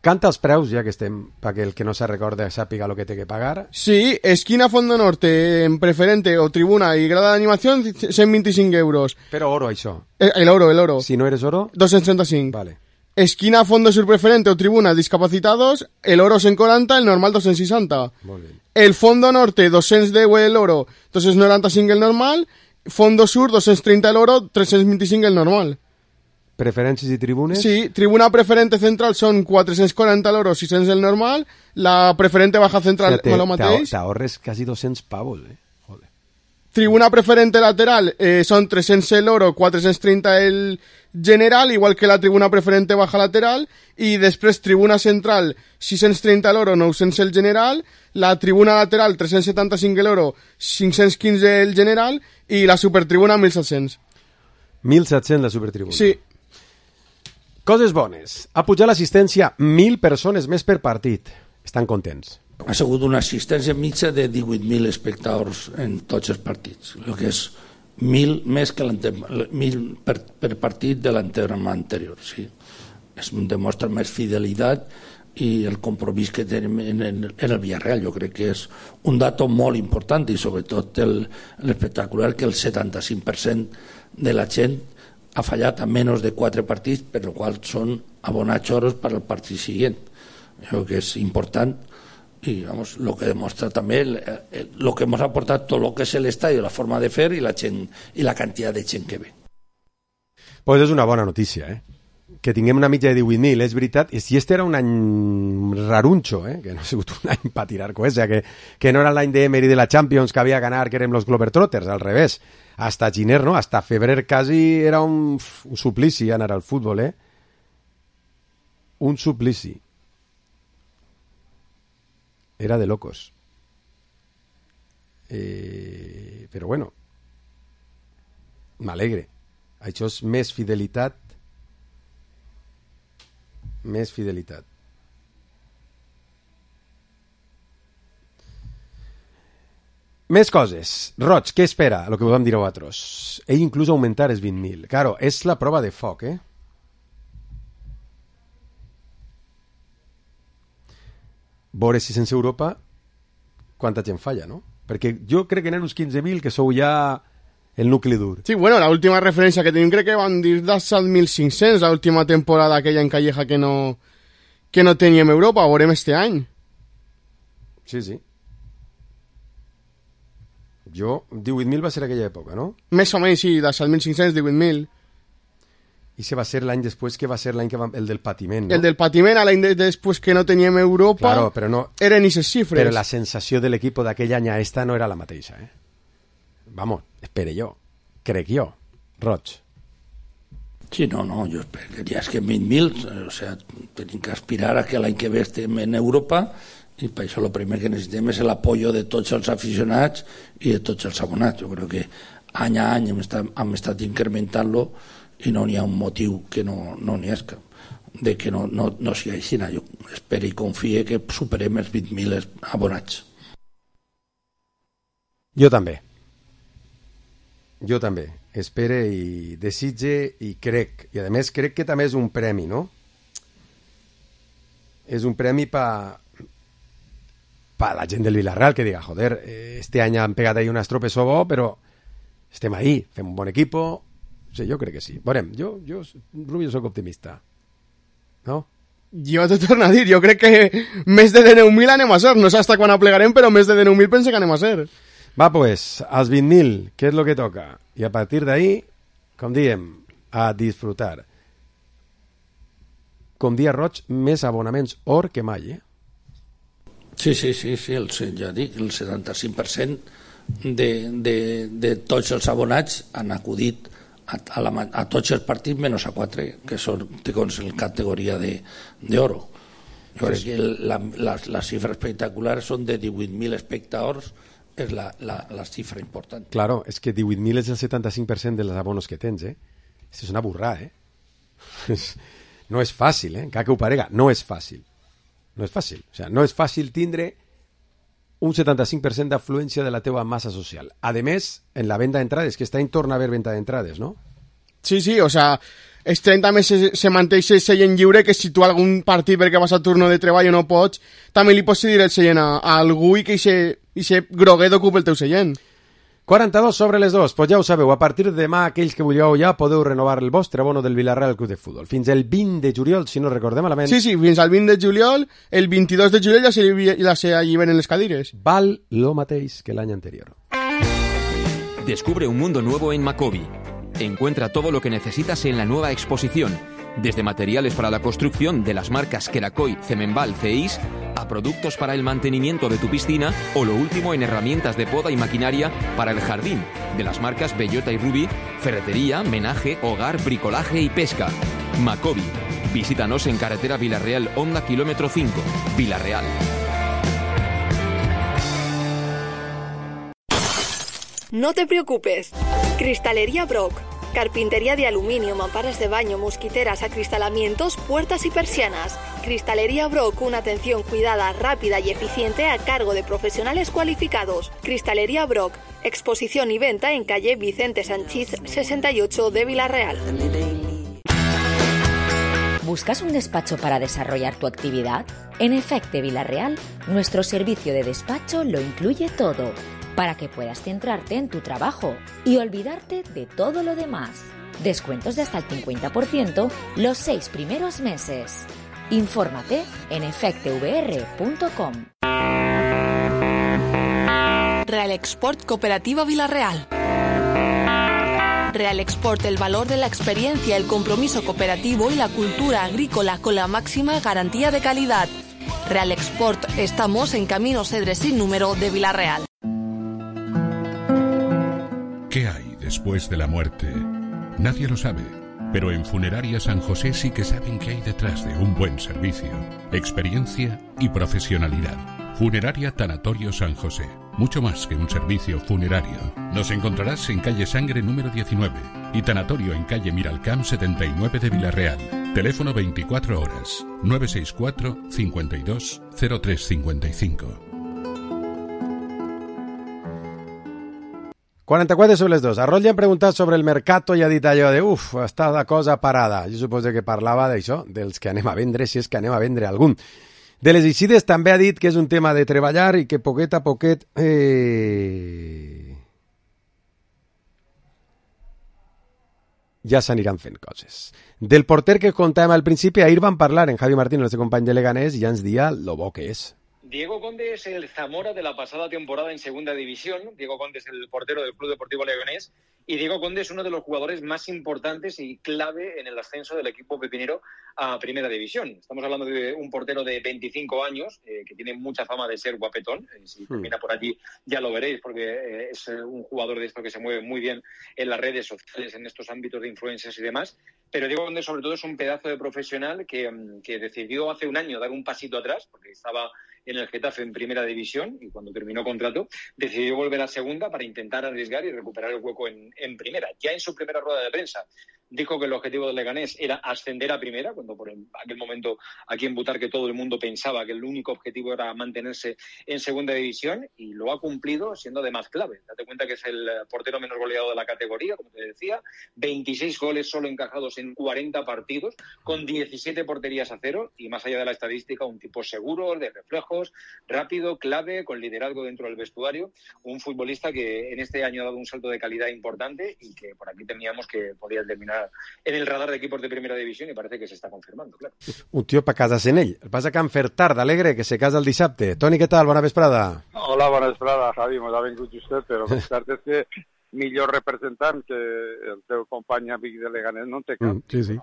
Canta els preus, ja que estem, perquè el que no se recorda sàpiga lo que té que pagar. Sí, esquina Fondo Norte, en preferente o tribuna y grada de animación, 125 euros. Però oro, això. El oro. Si no eres oro... 235. Vale. Esquina Fondo Sur preferente o tribuna discapacitados, el oro 140, el normal 260. Molt bé. El Fondo Norte, 210 el oro, 295 el normal. Fondo Sur, 230 el oro, 325 el normal. Preferències i tribunes? Sí, tribuna preferente central són 440 l'oro, 600 el normal, la preferente baja central o lo mateix. T'ahorres quasi 200 pavos, Joder. Tribuna preferente lateral són 300 l'oro, 430 el general, igual que la tribuna preferente baja lateral, i després tribuna central 630 l'oro, 900 el general, la tribuna lateral 375 l'oro, 515 el general, i la supertribuna 1.700. 1.700 la supertribuna. Sí. Coses bones. Ha pujat l'assistència 1.000 persones més per partit. Estan contents. Ha sigut una assistència mitja de 18.000 espectadors en tots els partits, el que és 1.000 més que 1.000 per partit de l'entrenament anterior. Sí. Es demostra més fidelitat i el compromís que tenim en el Villarreal. Jo crec que és un dato molt important i sobretot l'espectacular que el 75% de la gent ha fallat a menys de 4 partits, per lo qual són abonats oros per al partit següent. Jo crec que és important i vamos, lo que demostra també lo que hemos aportat tot lo que és l'estadi, la forma de fer i la gent i la quantitat de gent que ve. Pues és una bona notícia, que tinguem una mitja de 18.000, és veritat, i si este era un any raruncho, que no ha sigut un any per tirar coets, que no era l'any d'Emery de la Champions que havia ganar, que érem los Globetrotters, al revés. Hasta Giner, ¿no? Hasta febrer casi era un suplici anar al fútbol, Un suplici. Era de locos. Però bueno, m'alegre. Això és més fidelitat. Més fidelitat. Més coses. Roig, què espera? El que podem dir a vosaltres. Ell inclús augmentar els 20.000. Claro, és la prova de foc, Veure si sense Europa quanta gent falla, no? Perquè jo crec que n'hi ha uns 15.000 que sou ja el nucli dur. Sí, bueno, la última referència que tenim crec que van dir dels 7.500 la última temporada aquella en Calleja que no teníem Europa, ho veurem este any. Sí, sí. Jo, 18.000 va ser aquella època, no? Més o menys, sí, de 7.500, 18.000. I se va ser l'any després que va ser l'any que va... el del patiment, no? El del patiment, l'any després que no teníem Europa, claro, però no... eren aquestes xifres. Però la sensació de l'equip d'aquell any a esta no era la mateixa, Vamos, espere jo. Crec jo. Roig. Sí, no, jo esperaria que 20.000, o sea, tenim que aspirar a que l'any que ve estem en Europa i per això el primer que necessitem és l'apoyo de tots els aficionats i de tots els abonats. Jo crec que any a any hem estat incrementant-lo i no n'hi ha un motiu que no n'hi és de que no sigui així. Jo espero i confie que superem els 20.000 abonats. Jo també. Espere i desitge i crec. I a més crec que també és un premi, no? És un premi per la gent del Villarreal que diga, joder, este any han pegat ahí un estropeso bo, però estem ahí, fem un bon equipo. Sí, jo crec que sí. Veurem, jo Rubio, soc optimista. No? Jo t'ho torno a dir, jo crec que més de 19.000 anem a ser. No sé hasta quan aplegarem, però més de 19.000 pense que anem a ser. Va, pues, als 20.000, què és lo que toca? I a partir d'ahí, com diem, a disfrutar. Com dia Roig, més abonaments or que mai, Sí, ja dic, el 75% de tots els abonats han acudit a tots els partits menys a 4 que són en categoria d'oro. Jo crec que la xifra espectacular són de 18.000 espectadors, és la xifra important. Claro, és que 18.000 és el 75% dels abonos que tens, és una burrada, No és fàcil, encara que ho parega, no és fàcil. No és fàcil. O sea, no és fàcil tindre un 75% d'afluència de la teua massa social. A més, en la venda d'entrades, que està en torna a haver venda d'entrades, no? Sí, o sea, els 30 més se manté el seient lliure, que si tu algun partit perquè vas a turno de treball o no pots, també li pots cedir el seient a algú i que ixe groguet ocupa el teu seient. 42 sobre les 2, pues ja ho sabeu, a partir de demà aquells que vulgueu ja podeu renovar el vostre abono del Villarreal Club de Futbol. Fins el 20 de juliol, si no recordem malament. Sí, fins al 20 de juliol, el 22 de juliol ja se alliberen les cadires. Val lo mateix que l'any anterior. Descubre un mundo nuevo en Macobi. Encuentra todo lo que necesitas en la nueva exposición, desde materiales para la construcción de las marcas Kerakoy, Cemenbal, CEIS, a productos para el mantenimiento de tu piscina o lo último en herramientas de poda y maquinaria para el jardín, de las marcas Bellota y Ruby, ferretería, menaje, hogar, bricolaje y pesca. Macobi. Visítanos en carretera Villarreal, Honda, kilómetro 5, Villarreal. No te preocupes. Cristalería Brock. Carpintería de aluminio, mamparas de baño, mosquiteras, acristalamientos, puertas y persianas. Cristalería Brock, una atención cuidada, rápida y eficiente a cargo de profesionales cualificados. Cristalería Brock, exposición y venta en calle Vicente Sanchís 68 de Villarreal. ¿Buscas un despacho para desarrollar tu actividad? En Efecte Villarreal, nuestro servicio de despacho lo incluye todo, para que puedas centrarte en tu trabajo y olvidarte de todo lo demás. Descuentos de hasta el 50% los 6 primeros meses. Infórmate en efectevr.com. Real Export Cooperativa Villarreal. Real Export, el valor de la experiencia, el compromiso cooperativo y la cultura agrícola con la máxima garantía de calidad. Real Export, estamos en Camino Cedres sin número de Villarreal. ¿Qué hay después de la muerte? Nadie lo sabe, pero en Funeraria San José sí que saben qué hay detrás de un buen servicio, experiencia y profesionalidad. Funeraria Tanatorio San José, mucho más que un servicio funerario. Nos encontrarás en calle Sangre número 19 y Tanatorio en calle Miralcamp 79 de Villarreal. Teléfono 24 horas, 964 52 0355. 44 sobre les 2. A Rol li han preguntat sobre el mercato i ha dit allò de està la cosa parada. Jo suposo que parlava d'això, dels que anem a vendre, si és que anem a vendre algun. De les eixides també ha dit que és un tema de treballar i que poquet a poquet ja s'aniran fent coses. Del porter que contàvem al principi, ahir van parlar en Javi Martín, el nostre company de Leganés, i ja ens dia lo bo que és. Diego Conde es el Zamora de la pasada temporada en Segunda División. Diego Conde es el portero del Club Deportivo Leganés. Y Diego Conde es uno de los jugadores más importantes y clave en el ascenso del equipo pepinero a Primera División. Estamos hablando de un portero de 25 años, que tiene mucha fama de ser guapetón. Si termina por allí ya lo veréis, porque es un jugador de esto que se mueve muy bien en las redes sociales, en estos ámbitos de influencers y demás. Pero Diego Conde, sobre todo, es un pedazo de profesional que decidió hace un año dar un pasito atrás, porque estaba en el Getafe en Primera División y cuando terminó contrato decidió volver a Segunda para intentar arriesgar y recuperar el hueco en Primera. Ya en su primera rueda de prensa dijo que el objetivo del Leganés era ascender a Primera, cuando por aquel momento aquí en Butarque todo el mundo pensaba que el único objetivo era mantenerse en Segunda División, y lo ha cumplido siendo de más clave. Date cuenta que es el portero menos goleado de la categoría, como te decía, 26 goles solo encajados en 40 partidos, con 17 porterías a cero, y más allá de la estadística, un tipo seguro, de reflejos, rápido, clave, con liderazgo dentro del vestuario, un futbolista que en este año ha dado un salto de calidad importante y que por aquí temíamos que podía terminar en el radar de equipos de Primera División, y parece que se està confirmant, clar. Un tio per casar-se en ell. El passa que en Fertard, alegre, que se casa el dissabte. Toni, què tal? Bona vesprada. Hola, bona vesprada, Javi. M'ho ha vingut justet, però la veritat és que millor representant que el teu company amic de Leganés no en té cap. Sí.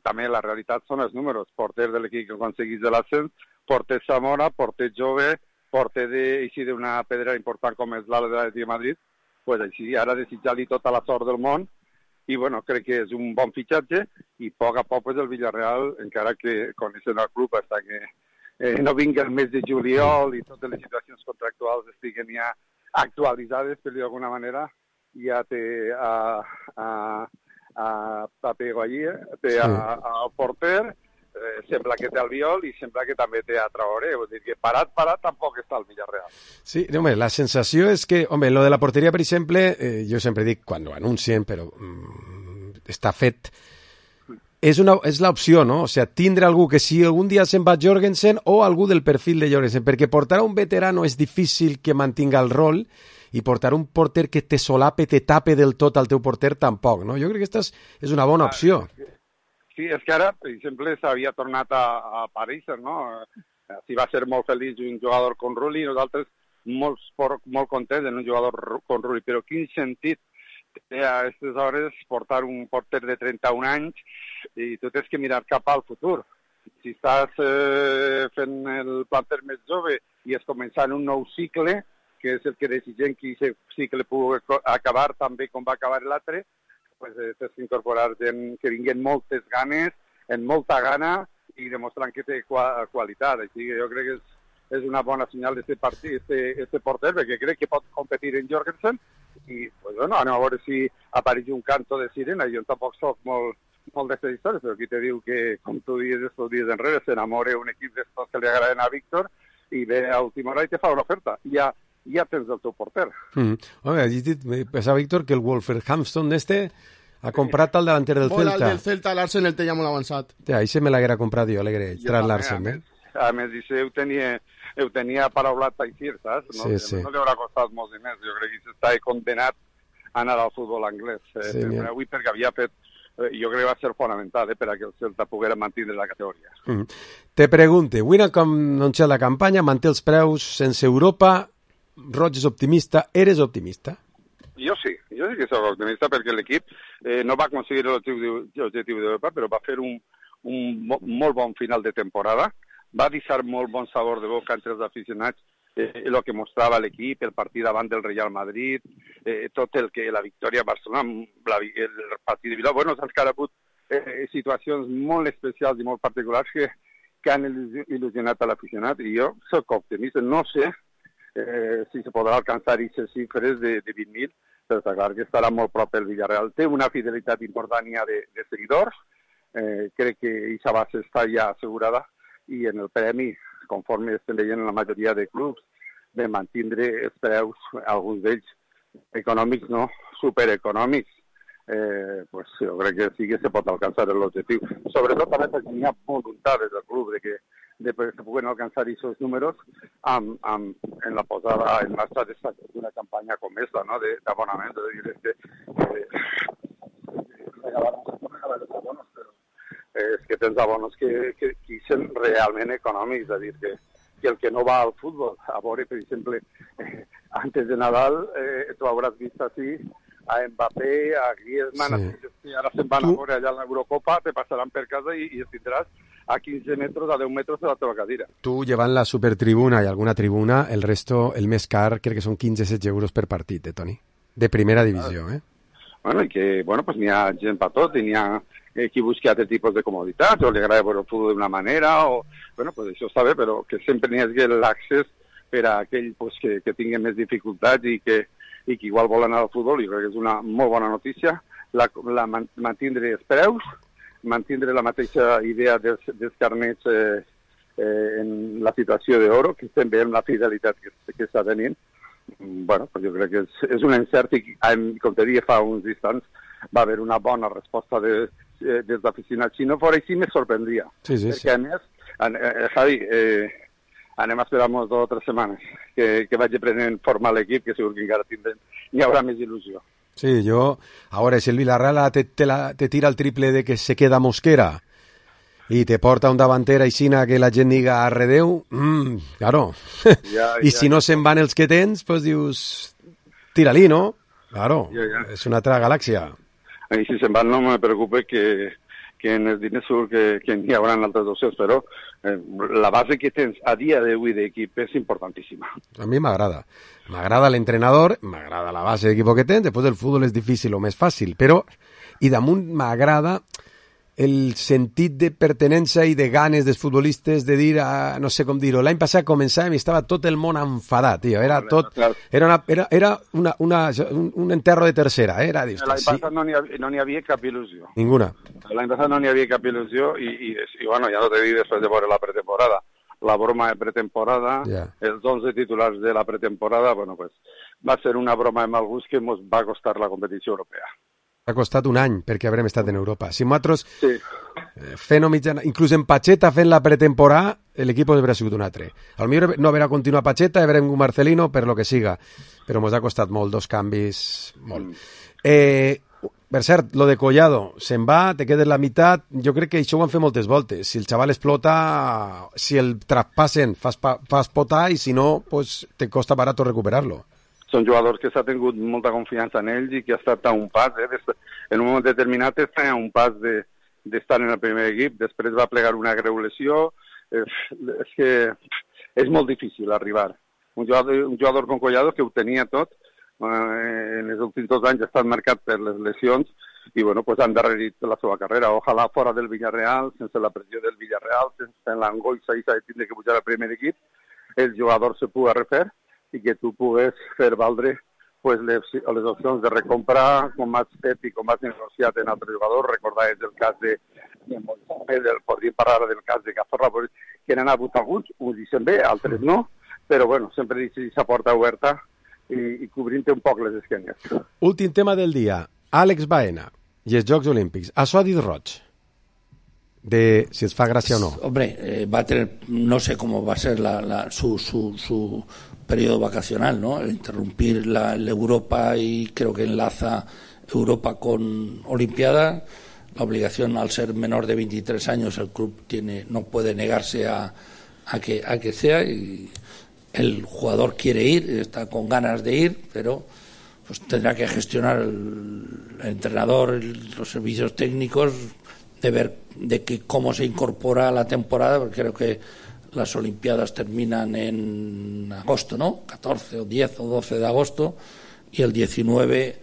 També la realitat són els números. Porter de l'equip que aconseguís de l'ascens, porter Zamora, porter jove, porter d'una pedra important com és l'ala de l'Atlètic de Madrid. Pues així, ara desitjar-li tota la sort del món. I bueno, crec que és un bon fitxatge, i a poc pues, el Villarreal, encara que coneixen el club fins que no vingui el mes de juliol i totes les situacions contractuals estiguen ja actualitzades, per dir d'alguna manera, ja té a Pego allí, té al porter, sembla que té el Viol i sembla que també té a Traoré. Vull dir que parat tampoc està el Villarreal. Sí, home, la sensació és que, home, lo de la porteria, per exemple, jo sempre dic quan ho anuncien, però està fet. És l'opció, no? O sigui, tindre algú que si algun dia se'n va Jorgensen o algú del perfil de Jorgensen, perquè portar a un veterano és difícil que mantinga el rol i portar un porter que te solape, te tape del tot al teu porter tampoc, no? Jo crec que aquesta és una bona opció. Sí, és que ara, per exemple, s'havia tornat a aparèixer, no? Si va ser molt feliç un jugador com Rulli, nosaltres molt contents en un jugador com Rulli, però quin sentit té a aquestes hores portar un porter de 31 anys i tu tens que mirar cap al futur. Si estàs fent el planter més jove i és començant un nou cicle, que és el que desitgem que aquest cicle pugui acabar també com va acabar l'altre, pues tens que incorporar gent que vinguin moltes ganes, en molta gana i demostrant que té qualitat. Així que jo crec que és una bona senyal d'aquest partit, este porter, perquè crec que pot competir en Jorgensen i pues, bueno, anem a veure si apareix un canto de sirena. Jo tampoc soc molt d'aquestes històries, però aquí te diu que, com tu dius estos dies enrere, s'enamora un equip d'estos que li agraden a Víctor i ve a última hora i te fa una oferta. Ja tens el teu porter. Home, has dit, me pensava, Víctor, que el Wolverhampton ha comprat el davanter del Celta. El del Celta, l'Arsenal té ja molt avançat. Ahí se me l'haguera comprat jo, alegre, tras l'Arsenal. A més, ho tenia paraulat a Ixir, saps? No, sí. No li haurà costat molts diners. Jo crec que s'està condenat a anar al futbol anglès. Sí, avui perquè havia fet, jo crec que va ser fonamental perquè el Celta poguera mantenir la categoria. Te pregunte, avui com no sé la campanya, manté els preus sense Europa, Roig és optimista, eres optimista? Jo sí que soc optimista perquè l'equip no va aconseguir l'objectiu d'Europa, però va fer un molt bon final de temporada, va deixar molt bon sabor de boca entre els aficionats, el que mostrava l'equip, el partit davant del Real Madrid, tot el que la victòria a Barcelona, el partit de Bilbao, bueno, s'han hagut situacions molt especials i molt particulars que han il·lusionat a l'aficionat i jo soc optimista, no sé si se podrà alcançar aquestes xifres de 20.000, però està clar que estarà molt prop el Villarreal. Té una fidelitat important ja de seguidors, crec que aquesta base està ja assegurada i en el premi, conforme estem veient en la majoria de clubs, de mantindre els preus, alguns d'ells econòmics, no supereconòmics, pues jo crec que sí que se pot alcançar l'objectiu. Sobretot també perquè hi ha voluntat des del club de que se puguen alcançar aquests números en la posada en marxa d'una campanya com aquesta, no? d'abonament, és que tens abonos que són realment econòmics, és a dir, que el que no va al futbol, a veure, per exemple, antes de Nadal, tu hauràs vist així a Mbappé, a Griezmann, sí. Ara se'n van a veure allà a l'Eurocopa, te passaran per casa i els tindràs a 15 metres, a 10 metres de la teva cadira. Tu, llevant la supertribuna i alguna tribuna, el resto, el més car, crec que són 15-16 euros per partit, Toni? De primera divisió, Bueno, i que, bueno, pues n'hi ha gent per tot, i n'hi ha qui busca altres tipus de comoditats, o li agrada veure el futbol d'una manera, o, bueno, pues això està bé, però que sempre n'hi hagi l'accés per a aquell pues, que tingui més dificultats i que igual vol anar al futbol, i crec que és una molt bona notícia, mantindre els preus, mantindre la mateixa idea dels carnets en la situació d'oro, que estem veient la fidelitat que està tenint. Bueno, pues jo crec que és un encert i, com te deia fa uns instants, va haver una bona resposta dels aficionats. Si no fos així, me sorprendria. Sí. Perquè, a més, Javi, anem a esperar 2 o 3 setmanes que vagi prenent forma l'equip, que segur que encara hi haurà més il·lusió. Sí, ahora si el Villarreal te tira el triple de que se queda Mosquera y te porta un davanter aixina que la gent diga arredeu, claro. I si no se'n van els que tens, pues dius, tira-li, no? Claro, és una altra galàxia. I si se'n van no me preocupa que en els diners segur que n'hi haurà altres opcions, però la base que tens a dia d'avui d'equip és importantíssima. A mi m'agrada. M'agrada l'entrenador, m'agrada la base d'equip que tens, després el futbol és difícil o més fàcil, però, i damunt m'agrada el sentit de pertenença i de ganes dels futbolistes de dir, no sé com dir-ho, l'any passat començàvem i estava tot el món enfadat, tio, era un enterro de tercera, era... L'any passat no n'hi havia cap il·lusió. Ninguna. L'any passat no n'hi havia cap il·lusió i bueno, ja no te dic després de veure la pretemporada. La broma de pretemporada, els 11 titulars de la pretemporada, bueno, pues va ser una broma amb alguns que ens va costar la competició europea. Ha costat un any perquè haurem estat en Europa. Si nosaltres fent mitjana, inclús en Pacheta fent la pretemporada, l'equip hauria sigut un altre. Al millor no haurà continuat Pacheta, haurem un Marcelino, per lo que siga. Però ens ha costat molt, 2 canvis, molt. Per cert, lo de Collado, se'n va, te quedes la meitat, jo crec que això ho han fet moltes voltes. Si el xaval explota, si el traspassen, fas potar, i si no, pues, te costa barat recuperar-lo. Són jugadors que s'ha tingut molta confiança en ells i que ha estat a un pas, en un moment determinat està a un pas d'estar en el primer equip, després va plegar una greu lesió, és que és molt difícil arribar. Un jugador com Collado que ho tenia tot, en els últims 2 anys ha estat marcat per les lesions i bueno, pues han endarrerit la seva carrera. Ojalà fora del Villarreal, sense la pressió del Villarreal, sense l'angoixa i s'ha de tindre que pujar al primer equip, el jugador se pugui refer i que tu pugues fer valdre pues, les opcions de recomprar, com has fet i com has negociat en altres jugadors. Recordaves el cas de Moisés, podríem parlar del cas de Cazorla, que n'han hagut alguns, uns dicen bé, altres no, però bueno, sempre deixes aquesta porta oberta i cobrint-te un poc les esquenes. Últim tema del dia, Àlex Baena i els Jocs Olímpics. Això ha dit Roig, de si es fa gràcia o no. Hombre, va a tener, no sé cómo va a ser su periodo vacacional, ¿no? El interrumpir la Europa y creo que enlaza Europa con Olimpiada. La obligación, al ser menor de 23 años, el club no puede negarse a que sea, y el jugador quiere ir, está con ganas de ir, pero pues tendrá que gestionar el entrenador, los servicios técnicos, de ver cómo se incorpora a la temporada, porque creo que las Olimpiadas terminan en agosto, ¿no? 14 o 10 o 12 de agosto, y el 19,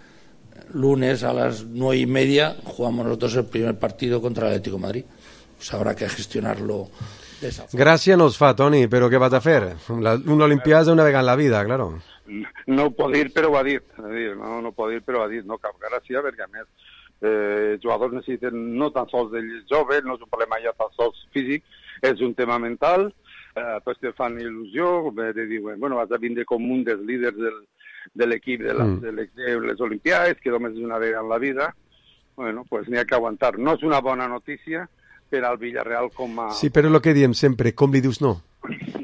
lunes a las 9:30, jugamos nosotros el primer partido contra el Atlético de Madrid. Pues habrá que gestionarlo de esa forma. Gràcia no es fa, Toni, però què vas a fer? Una Olimpiada una vegada en la vida, claro. No pot dir, però ho ha dit. No pot dir, però ho ha dit. No cap gràcia, perquè a més els jugadors necessiten no tan sols d'ells joves, no és un problema ja tan sols físic, és un tema mental, tots te fan il·lusió de dir, bueno, has de vindre com un dels líders de l'equip de les Olimpiades, que només és una vegada en la vida. Bueno, pues n'hi ha que aguantar. No és una bona notícia per al Villarreal com a... Sí, però és el que diem sempre, com li dius no?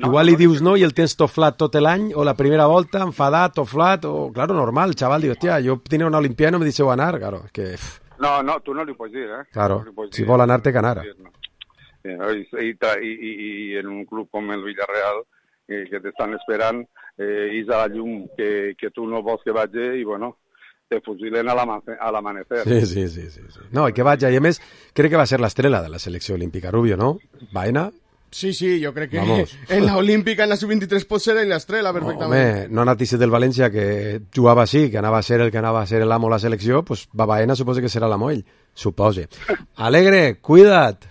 Igual li dius no i el tens toflat tot l'any, o la primera volta, enfadat, toflat, o, claro, normal, el xaval diu, hòstia, jo tenia una Olimpiada i no me deixeu anar, claro, que... No, tu no li pots dir, Claro, no si vol anar, té que anar. I en un club com el Villarreal, que t'estan esperant, és a la llum que tu no vols que vagi, i bueno, te fusilen a l'amanecer. Sí. No, i que vagi, i a més, crec que va ser l'estrela de la selecció olímpica, Rubio, no? Baena? Sí, jo crec que en la Olímpica, en la Sub-23 pot ser en l'estrela perfectament. Home, no notícies del València que jugava així, que anava a ser el que anava a ser l'amo de la selecció, pues va Baena, suposa que serà l'amo ell, supose. Alegre, cuida't.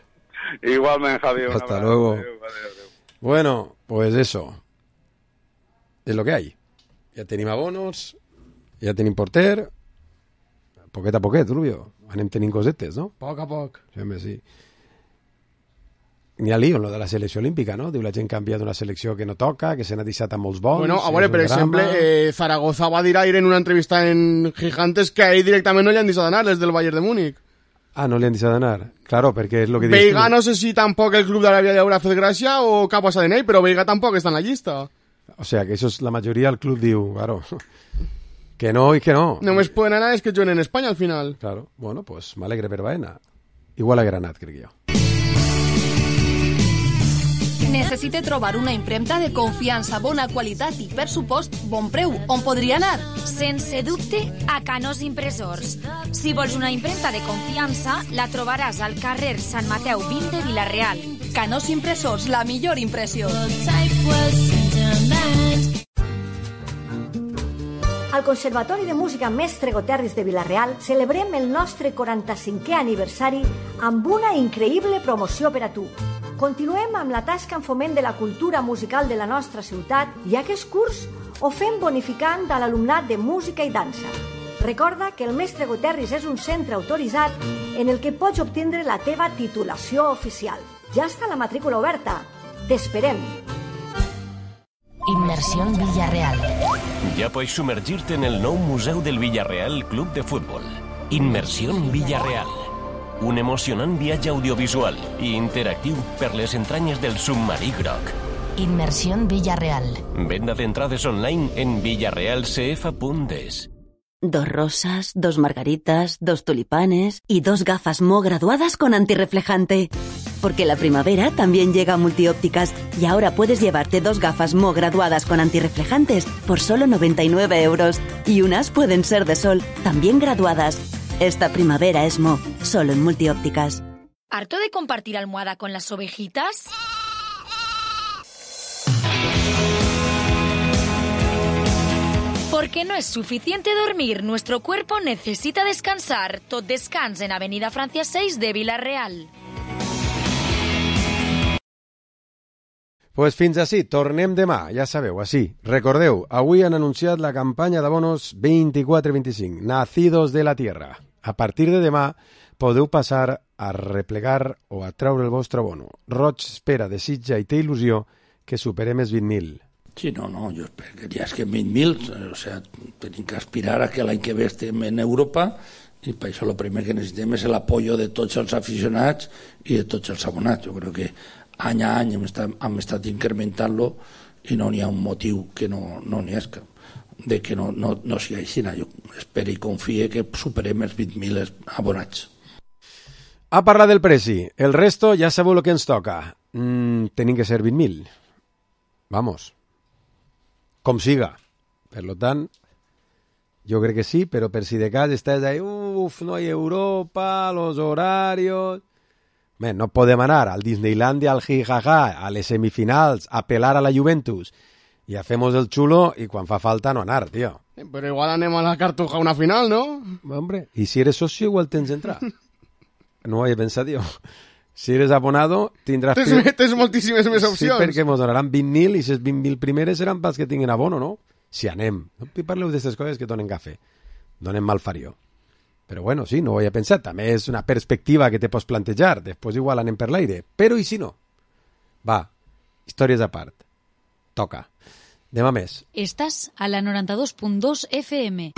Igualmente, Javier. Hasta luego. Adiós. Bueno, pues eso. Es lo que hay. Ja tenim abonos, ja tenim porter, poquet a poquet, Rubio. Anem tenint cosetes, no? Poc a poc. Sí. N'hi ha lío en lo de la selecció olímpica, no? Diu la gent que ha enviat una selecció que no toca, que se n'ha deixat amb molts bons... Bueno, a veure, per exemple, Zaragoza va dir ahir en una entrevista en Gigantes que a ell directament no li han deixat d'anar, des del Bayern de Múnich. Ah, no li han deixat d'anar? Claro, perquè és lo que dius Veiga no sé si tampoc el club d'Aràbia li haurà fet gràcia o què ha passat en ell, però Veiga tampoc està en la llista. O sea, que eso es la majoria del club diu, claro, que no i que no. Només poden anar és que juguen en Espanya al final. Claro, bueno, pues m'alegre per Baena. Igual a Granat, crec jo. Necessite trobar una impremta de confiança, bona qualitat i, per supost, bon preu. On podria anar? Sense dubte, a Canós Impressors. Si vols una impremta de confiança, la trobaràs al carrer Sant Mateu 20 de Vila-real. Canós Impressors, la millor impressió. Al Conservatori de Música Mestre Goterris de Vila-real celebrem el nostre 45è aniversari amb una increïble promoció per a tu. Continuem amb la tasca en foment de la cultura musical de la nostra ciutat i aquest curs ho fem bonificant a l'alumnat de música i dansa. Recorda que el Mestre Goterris és un centre autoritzat en el que pots obtindre la teva titulació oficial. Ja està la matrícula oberta. T'esperem. Inmersión Villarreal. Ya puedes sumergirte en el nou Museu del Villarreal Club de Fútbol. Immersió Villarreal. Un emocionant viatge audiovisual i interactiu per les entranyes del submarí groc. Immersió Villarreal. Venda d'entrades online en villarrealcf.es. 2 rosas, 2 margaritas, 2 tulipanes y 2 gafas Mo graduadas con antirreflejante. Porque la primavera también llega a Multiópticas y ahora puedes llevarte 2 gafas Mo graduadas con antirreflejantes por solo 99 €. Y unas pueden ser de sol, también graduadas. Esta primavera es Mo, solo en Multiópticas. ¿Harto de compartir almohada con las ovejitas? Porque no es suficiente dormir, nuestro cuerpo necesita descansar. Tot Descans en Avenida Francia 6 de Vila-real. Pues fins ací, tornem demà, ja sabeu, així. Recordeu, avui han anunciat la campanya d'abonos 24-25, Nacidos de la Tierra. A partir de demà podeu passar a replegar o a treure el vostre abono. Roig espera, desitja i té il·lusió que superem els 20.000. Sí, no, jo espero que ja és que 20.000, o sea, tenim que aspirar a que l'any que ve estem en Europa i per això el primer que necessitem és l'apoyo de tots els aficionats i de tots els abonats. Jo crec que any a any hem estat incrementant-lo i no n'hi ha un motiu que no n'hi hagi, de que no sigui així. Jo espero i confie que superem els 20.000 abonats. A parlar del preci, el resto ja sabeu el que ens toca. Tenim que ser 20.000. Vamos. Com siga. Per tant, jo crec que sí, però per si de cas estàs ahí, no hi ha Europa, los horarios... Bé, no podem anar al Disneylandia, al jijaja, a les semifinals, a pelar a la Juventus, i hacemos el xulo, i quan fa falta no anar, tio. Però igual anem a la Cartuja a una final, no? Hombre, i si eres socio igual tens entrar. No ho he pensat, tio. Si eres abonado, tindràs... Tens moltíssimes més opcions. Sí, perquè ens donaran 20.000 i les 20.000 primeres seran pels que tinguin abono, no? Si anem. No parleu d'aquestes coses que donen cafè. Donen malfarió. Però bueno, sí, no ho he pensat. També és una perspectiva que te pots plantejar. Després igual anem per l'aire. Però i si no? Va, històries a part. Toca. Demà més. Estàs a la 92.2 FM.